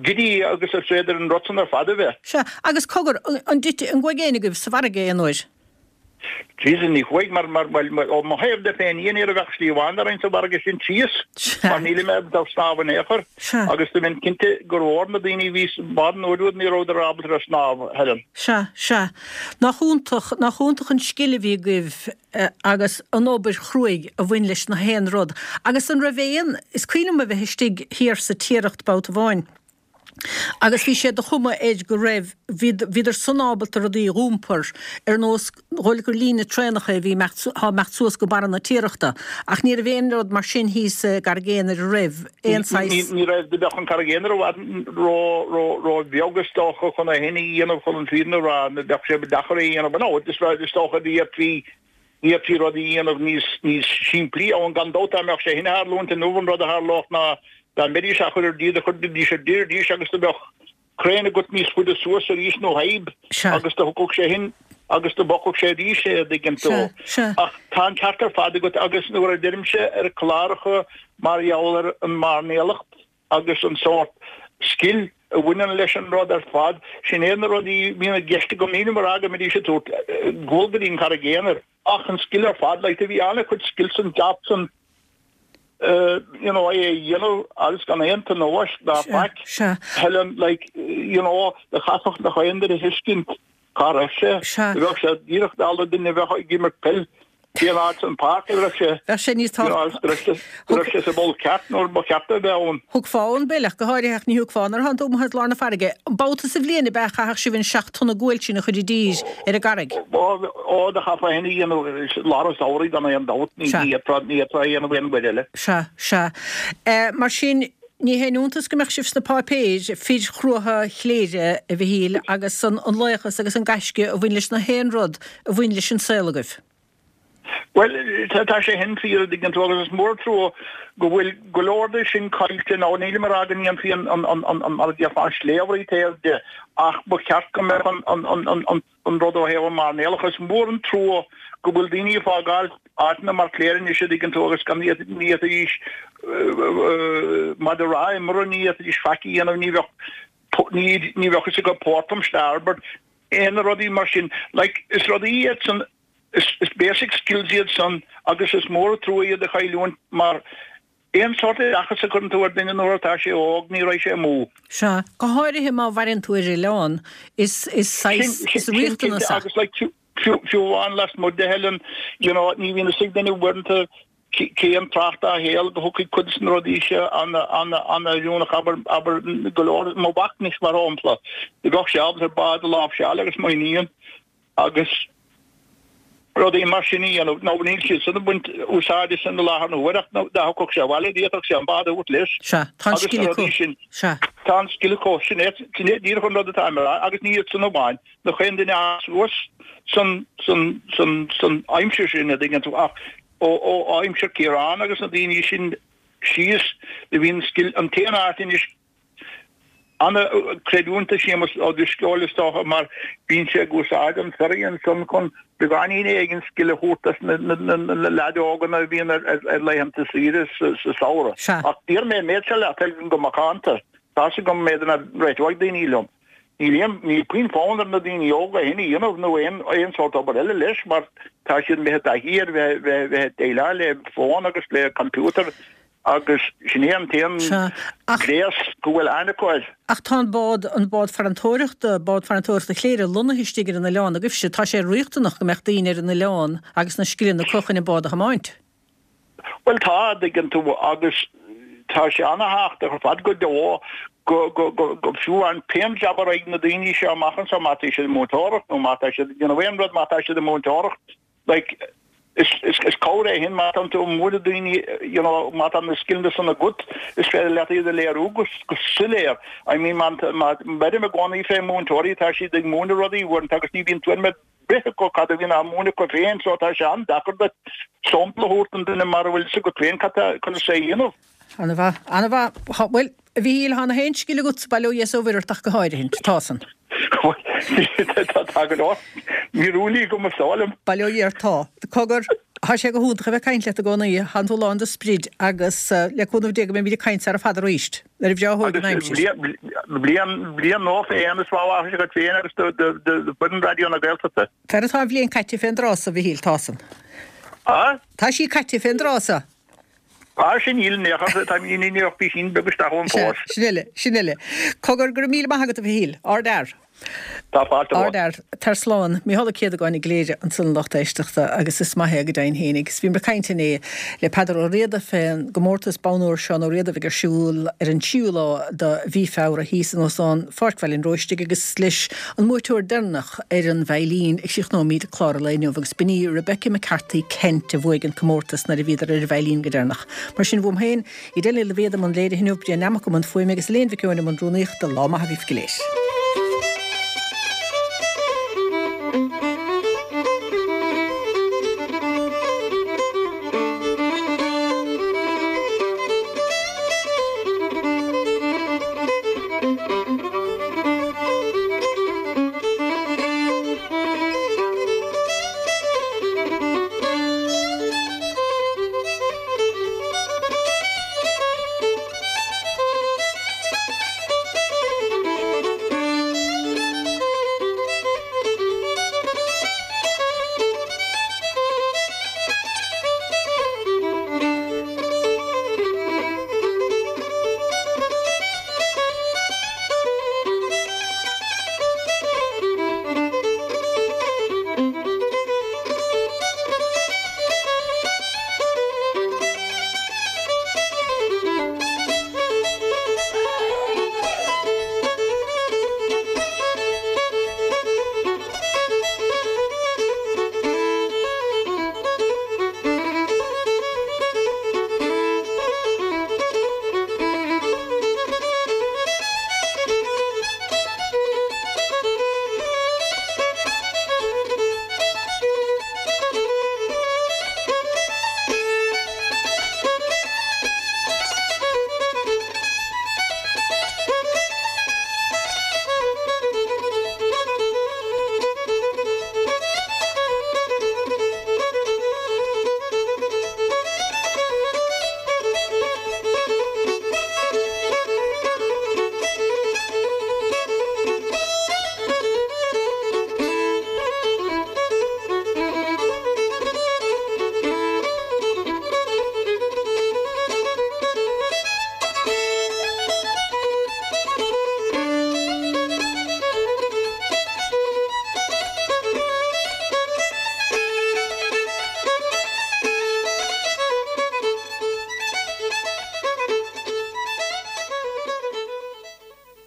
giddy agus is féidir an rud san ar fad a bheith. Sea, agus cogar, an dtit, an gcuaigh éinne agaibh sa bhfarraige aon uair? Jesus, ní chuaigh, mar, mar, bhuel, ó mo thaobh de féin, ní raibh ach slí amháin dá raghainn sa bhfarraige sin síos, mar nílim ábalta snámh in aon chor, agus do bheinn cinnte gur mhór na daoine a bhí sa bhád an uair úd ní rabhadar ábalta ar snámh, Helen. Sea, sea. Nach iontach, nach iontach an scil a bhí agaibh agus an obair chruaidh a bhain leis na haon rud. Agus an raibh aon, is cuimhin liom a bheith istigh thiar sa Tiaracht babhta amháin, Agus bhí sé de chuma air go raibh, bhíodar san ábalta rudaí a dh'iompar, ar nós dhóigh gur líne traenach é a bhí imeacht, thá imeacht suas go barra na Tiarachta. Ach ní raibh aon rud mar sin thíos i gCarraig Aonair an raibh, aon saghas. Ní raibh, do bheadh an Carraig Aonair i bhfad ró, ró, ró bheag is dócha chun é shin a dhéanamh chun an fírinne a rá, nó bheadh sé deacair é a dhéanamh, nó is dócha d'fhéadfaí, d'fhéadfaí rud a dhéanamh níos, níos simplí ann. Gan dabht dá mbeadh sé shin a tharlúint inniu an rud a tharlódh ná dá mbeidís á chur ar dtír do chuirfidís ar dtír arís agus do bheadh craein agat níos faide suas arís nó thaobh agus do thiocfadh sé shin agus do bhogfadh sé arís é a dtuigeann tú. Ach tá an ceart ar fad agat agus nuair a deirimse ar chláracha mar gheall ar an mairnéalacht agus an sórt scil a bhaineann leis an rud ar fad, sin é na rudaí a bhíonn i gceist agam, nílim ag rá go mbeidís ag tabhairt dul go dtí an Charraig Aonair ach an scil ar fad, like, bhí an-chuid scil san jab san you know, é a dhéanamh agus gan aon tionóisc ná faic. Helen, like, you know, do chaithfeadh nach aon duine a thuiscint cá raibh sé. Bheadh sé díreach dála duine a bheadh ag imirt peil cén áit san páirc a raibh sé. Bheadh sé níos tábhachtaí. Go raibh sé sa bpoll ceart nuair ba cheart dó a bheith ann. Thiocfá ón bpeil ach go háirithe ach ní thiocfá nuair atánn tú amuigh i lár na farraige. Babhta sa bhliain ab ea a chaithfeadh sibh an seacht tonna guail sin a chur i dtír ar an gcarraig? Ó, do chaithfeá é sin a dhéanamh i lár an samhraidh gan aon dabht, ní fhéadfá é a dhéanamh aon uair eile. Sea, sea. Mar sin, ní haon iontas go mbeadh sibh sna páipéir, fir chruaidhe Chléire, a Mhichíl, agus an laochas agus an gaisce a bhain leis na haon rud a bhain leis an saol agaibh. Bhuel, tá sé sin fíor, a dtuigeann tú, agus is mór an trua go bhfuil go leor de sin caillte now. Nílim ag rá go ndéanfaí an, mar a déarfá, an slavery taobh de, ach ba cheart go mbeadh an rud ó thaobh an mairnéalachais. Is mór an trua go bhfuil daoine ag fágáil áiteanna mar Cléire anois, a dtuigeann tú, agus gan ní fhéadfaidís madra a iomramh, ní fhéadfaidís faic a dhéanamh, ní bheadh, ní bheadh fhios acu port from starboard, aon rudaí mar sin. Like, is rudaí iad san Is basic skills iad san agus is mór an trua iad a chailliúint mar aon sórt oideachas a chuireann tú ar duine nuair atá sé óg ní raghaidh sé amú. Sea, go háirithe má mhaireann tú ar oileán, is is saghas, is riachtanas é. Agus like fiú fiú amháin lasmuigh de Helen, you know, ní bhíonn fhios ag duine uaireanta cén tráth dá shaol go thiocfaidh cuid de na rudaí seo an-oiriúnach, abair, abair go leor, mo mhac anois mar shampla, bheadh sé ábalta bád a láimhseáil agus m'iníon agus rudaí mar sin a dhéanamh. Now níl siad san ag baint úsáid as sin i láthair na huaire ach dá thiocfadh sé abhaile d'fhéadfadh sé an bád a thabhairt leis. Sea, tá an scil acu. Sea. Tá an scil acu. Sin é, sin é díreach an rud atá mé a rá agus ní iad san amháin, nach aon duine a suas san, san, san, san aimsir sin a dtuigeann tú ach ó, ó aimsir Ciarán agus na daoine sin síos do bhí an scil, an t-aon áit anois An-chreidiúint do Séamus Ó Drisceoil is dócha mar bíonn sé ag úsáid an ferry ansan chun beagáinín éigin scil a thabhairt dos na leaids óga a bhíonn ar laethanta saoire sa samhradh. Ach déarfaidh mé an méid seo leat, go macánta, tá's agam b'fhéidir nach réiteoidh daoine liom. Níl aon, níl puinn fonn ar na daoine óga é sin a dhéanamh nó aon aon sórt obair eile leis mar tá siad imithe i dtaithí ar bheith bheith ag déileáil le fón agus le computer Agus sin é an t-aon ghléas go bhfuil aithne acu air. Ach tá an bád, an bád farantóireachta, bád farantóireachta Chléire lonnaithe istigh ar an oileán agaibhse. Tá sé riachtanach go mbeadh daoine ar an oileán agus na scileanna acu chun an bád a thiomáint. Bhuel tá, a dtuigeann tú, agus tá sé ana-thábhachtach ar fad go deo go, go, go, go fiú an pé jab a raghaidh na daoine seo amach anseo, má tá siad ag múinteoireacht nó má tá siad ag déanamh aon rud, má tá siad ag múinteoireacht, like, Is is cabhair é sin má tá tú ag múineadh daoine you know má tá na scileanna san agat is féidir leat iad a léiriú go go soiléir. I mean má má bheirim i gcónaí fé múinteoirí tá siad ag múineadh rudaí uaireanta agus ní bhíonn tuairim ar bith acu cad a bhíonn á múineadh acu féin so tá sé an-deacair duit sampla a thabhairt don duine mara bhfuil fhios agat féin cad tá conas é a dhéanamh. An-mhaith, an-mhaith. Bhuel, a Mhíchíl, tá na haon scil agat sa baile ó dheas ó Mhuirtheartach go háirithint. Tá san. Tá go leor míorúiltí agam is dóigh liom. Bail ó Dhia ort, tá. Cogar, tá sé go hiontach a bheith ag caint leat i gcónaí. Tánn tú lán de sprid agus le cúnamh Dé go mbeimid ag caint sara fada arís. Nuair a bhreathóidh an aimsir. Bliain, bliain nua féin is mhaith agat féin agus do fhoireann Raidió na Gaeltachta. Fear atá an bhliain caite fén dtráth so, a Mhichíl, tá san. Ah? Tá sí caite fén dtráth so. Ah, sin níl in aon chor, tá mé ní ní písín beag isteach ón Sea, fós. sin eile, sin eile. Cogar, go raibh míle maith agat a Mhichíl. Ardfhear. Tá fáilte romhat. Ardfhear. Tar slán. Mícheál Ó Céadagáin i gCléire ansan a lucht éisteachta agus is maith é go deimhin fhéinig. Is bhíomar ag caint inné le Peadar Ó Riada fén gcomórtas Bonn Óir Seán Ó Riada a bheidh ar siúl ar an tríú lá de mhí Feabhra thíos in Óstán Pháirc Bhaile an Róistigh agus leis an mbuaiteoir deireanach ar an veidhlín a chríochnóimid clár an lae inniu agus b'in í Rebecca McCarthy Kent a bhuaigh an comórtas nuair a bhíodar ar an veidhlín go deireanach. Mar sin uaim féin, Edel Ní Loibhéad i mbun léirithe inniu, Brian Nammock i mbun fuaime agus Elaine Mhic Eoin i mbun rúnaíochta, lá maith agaibh go léir.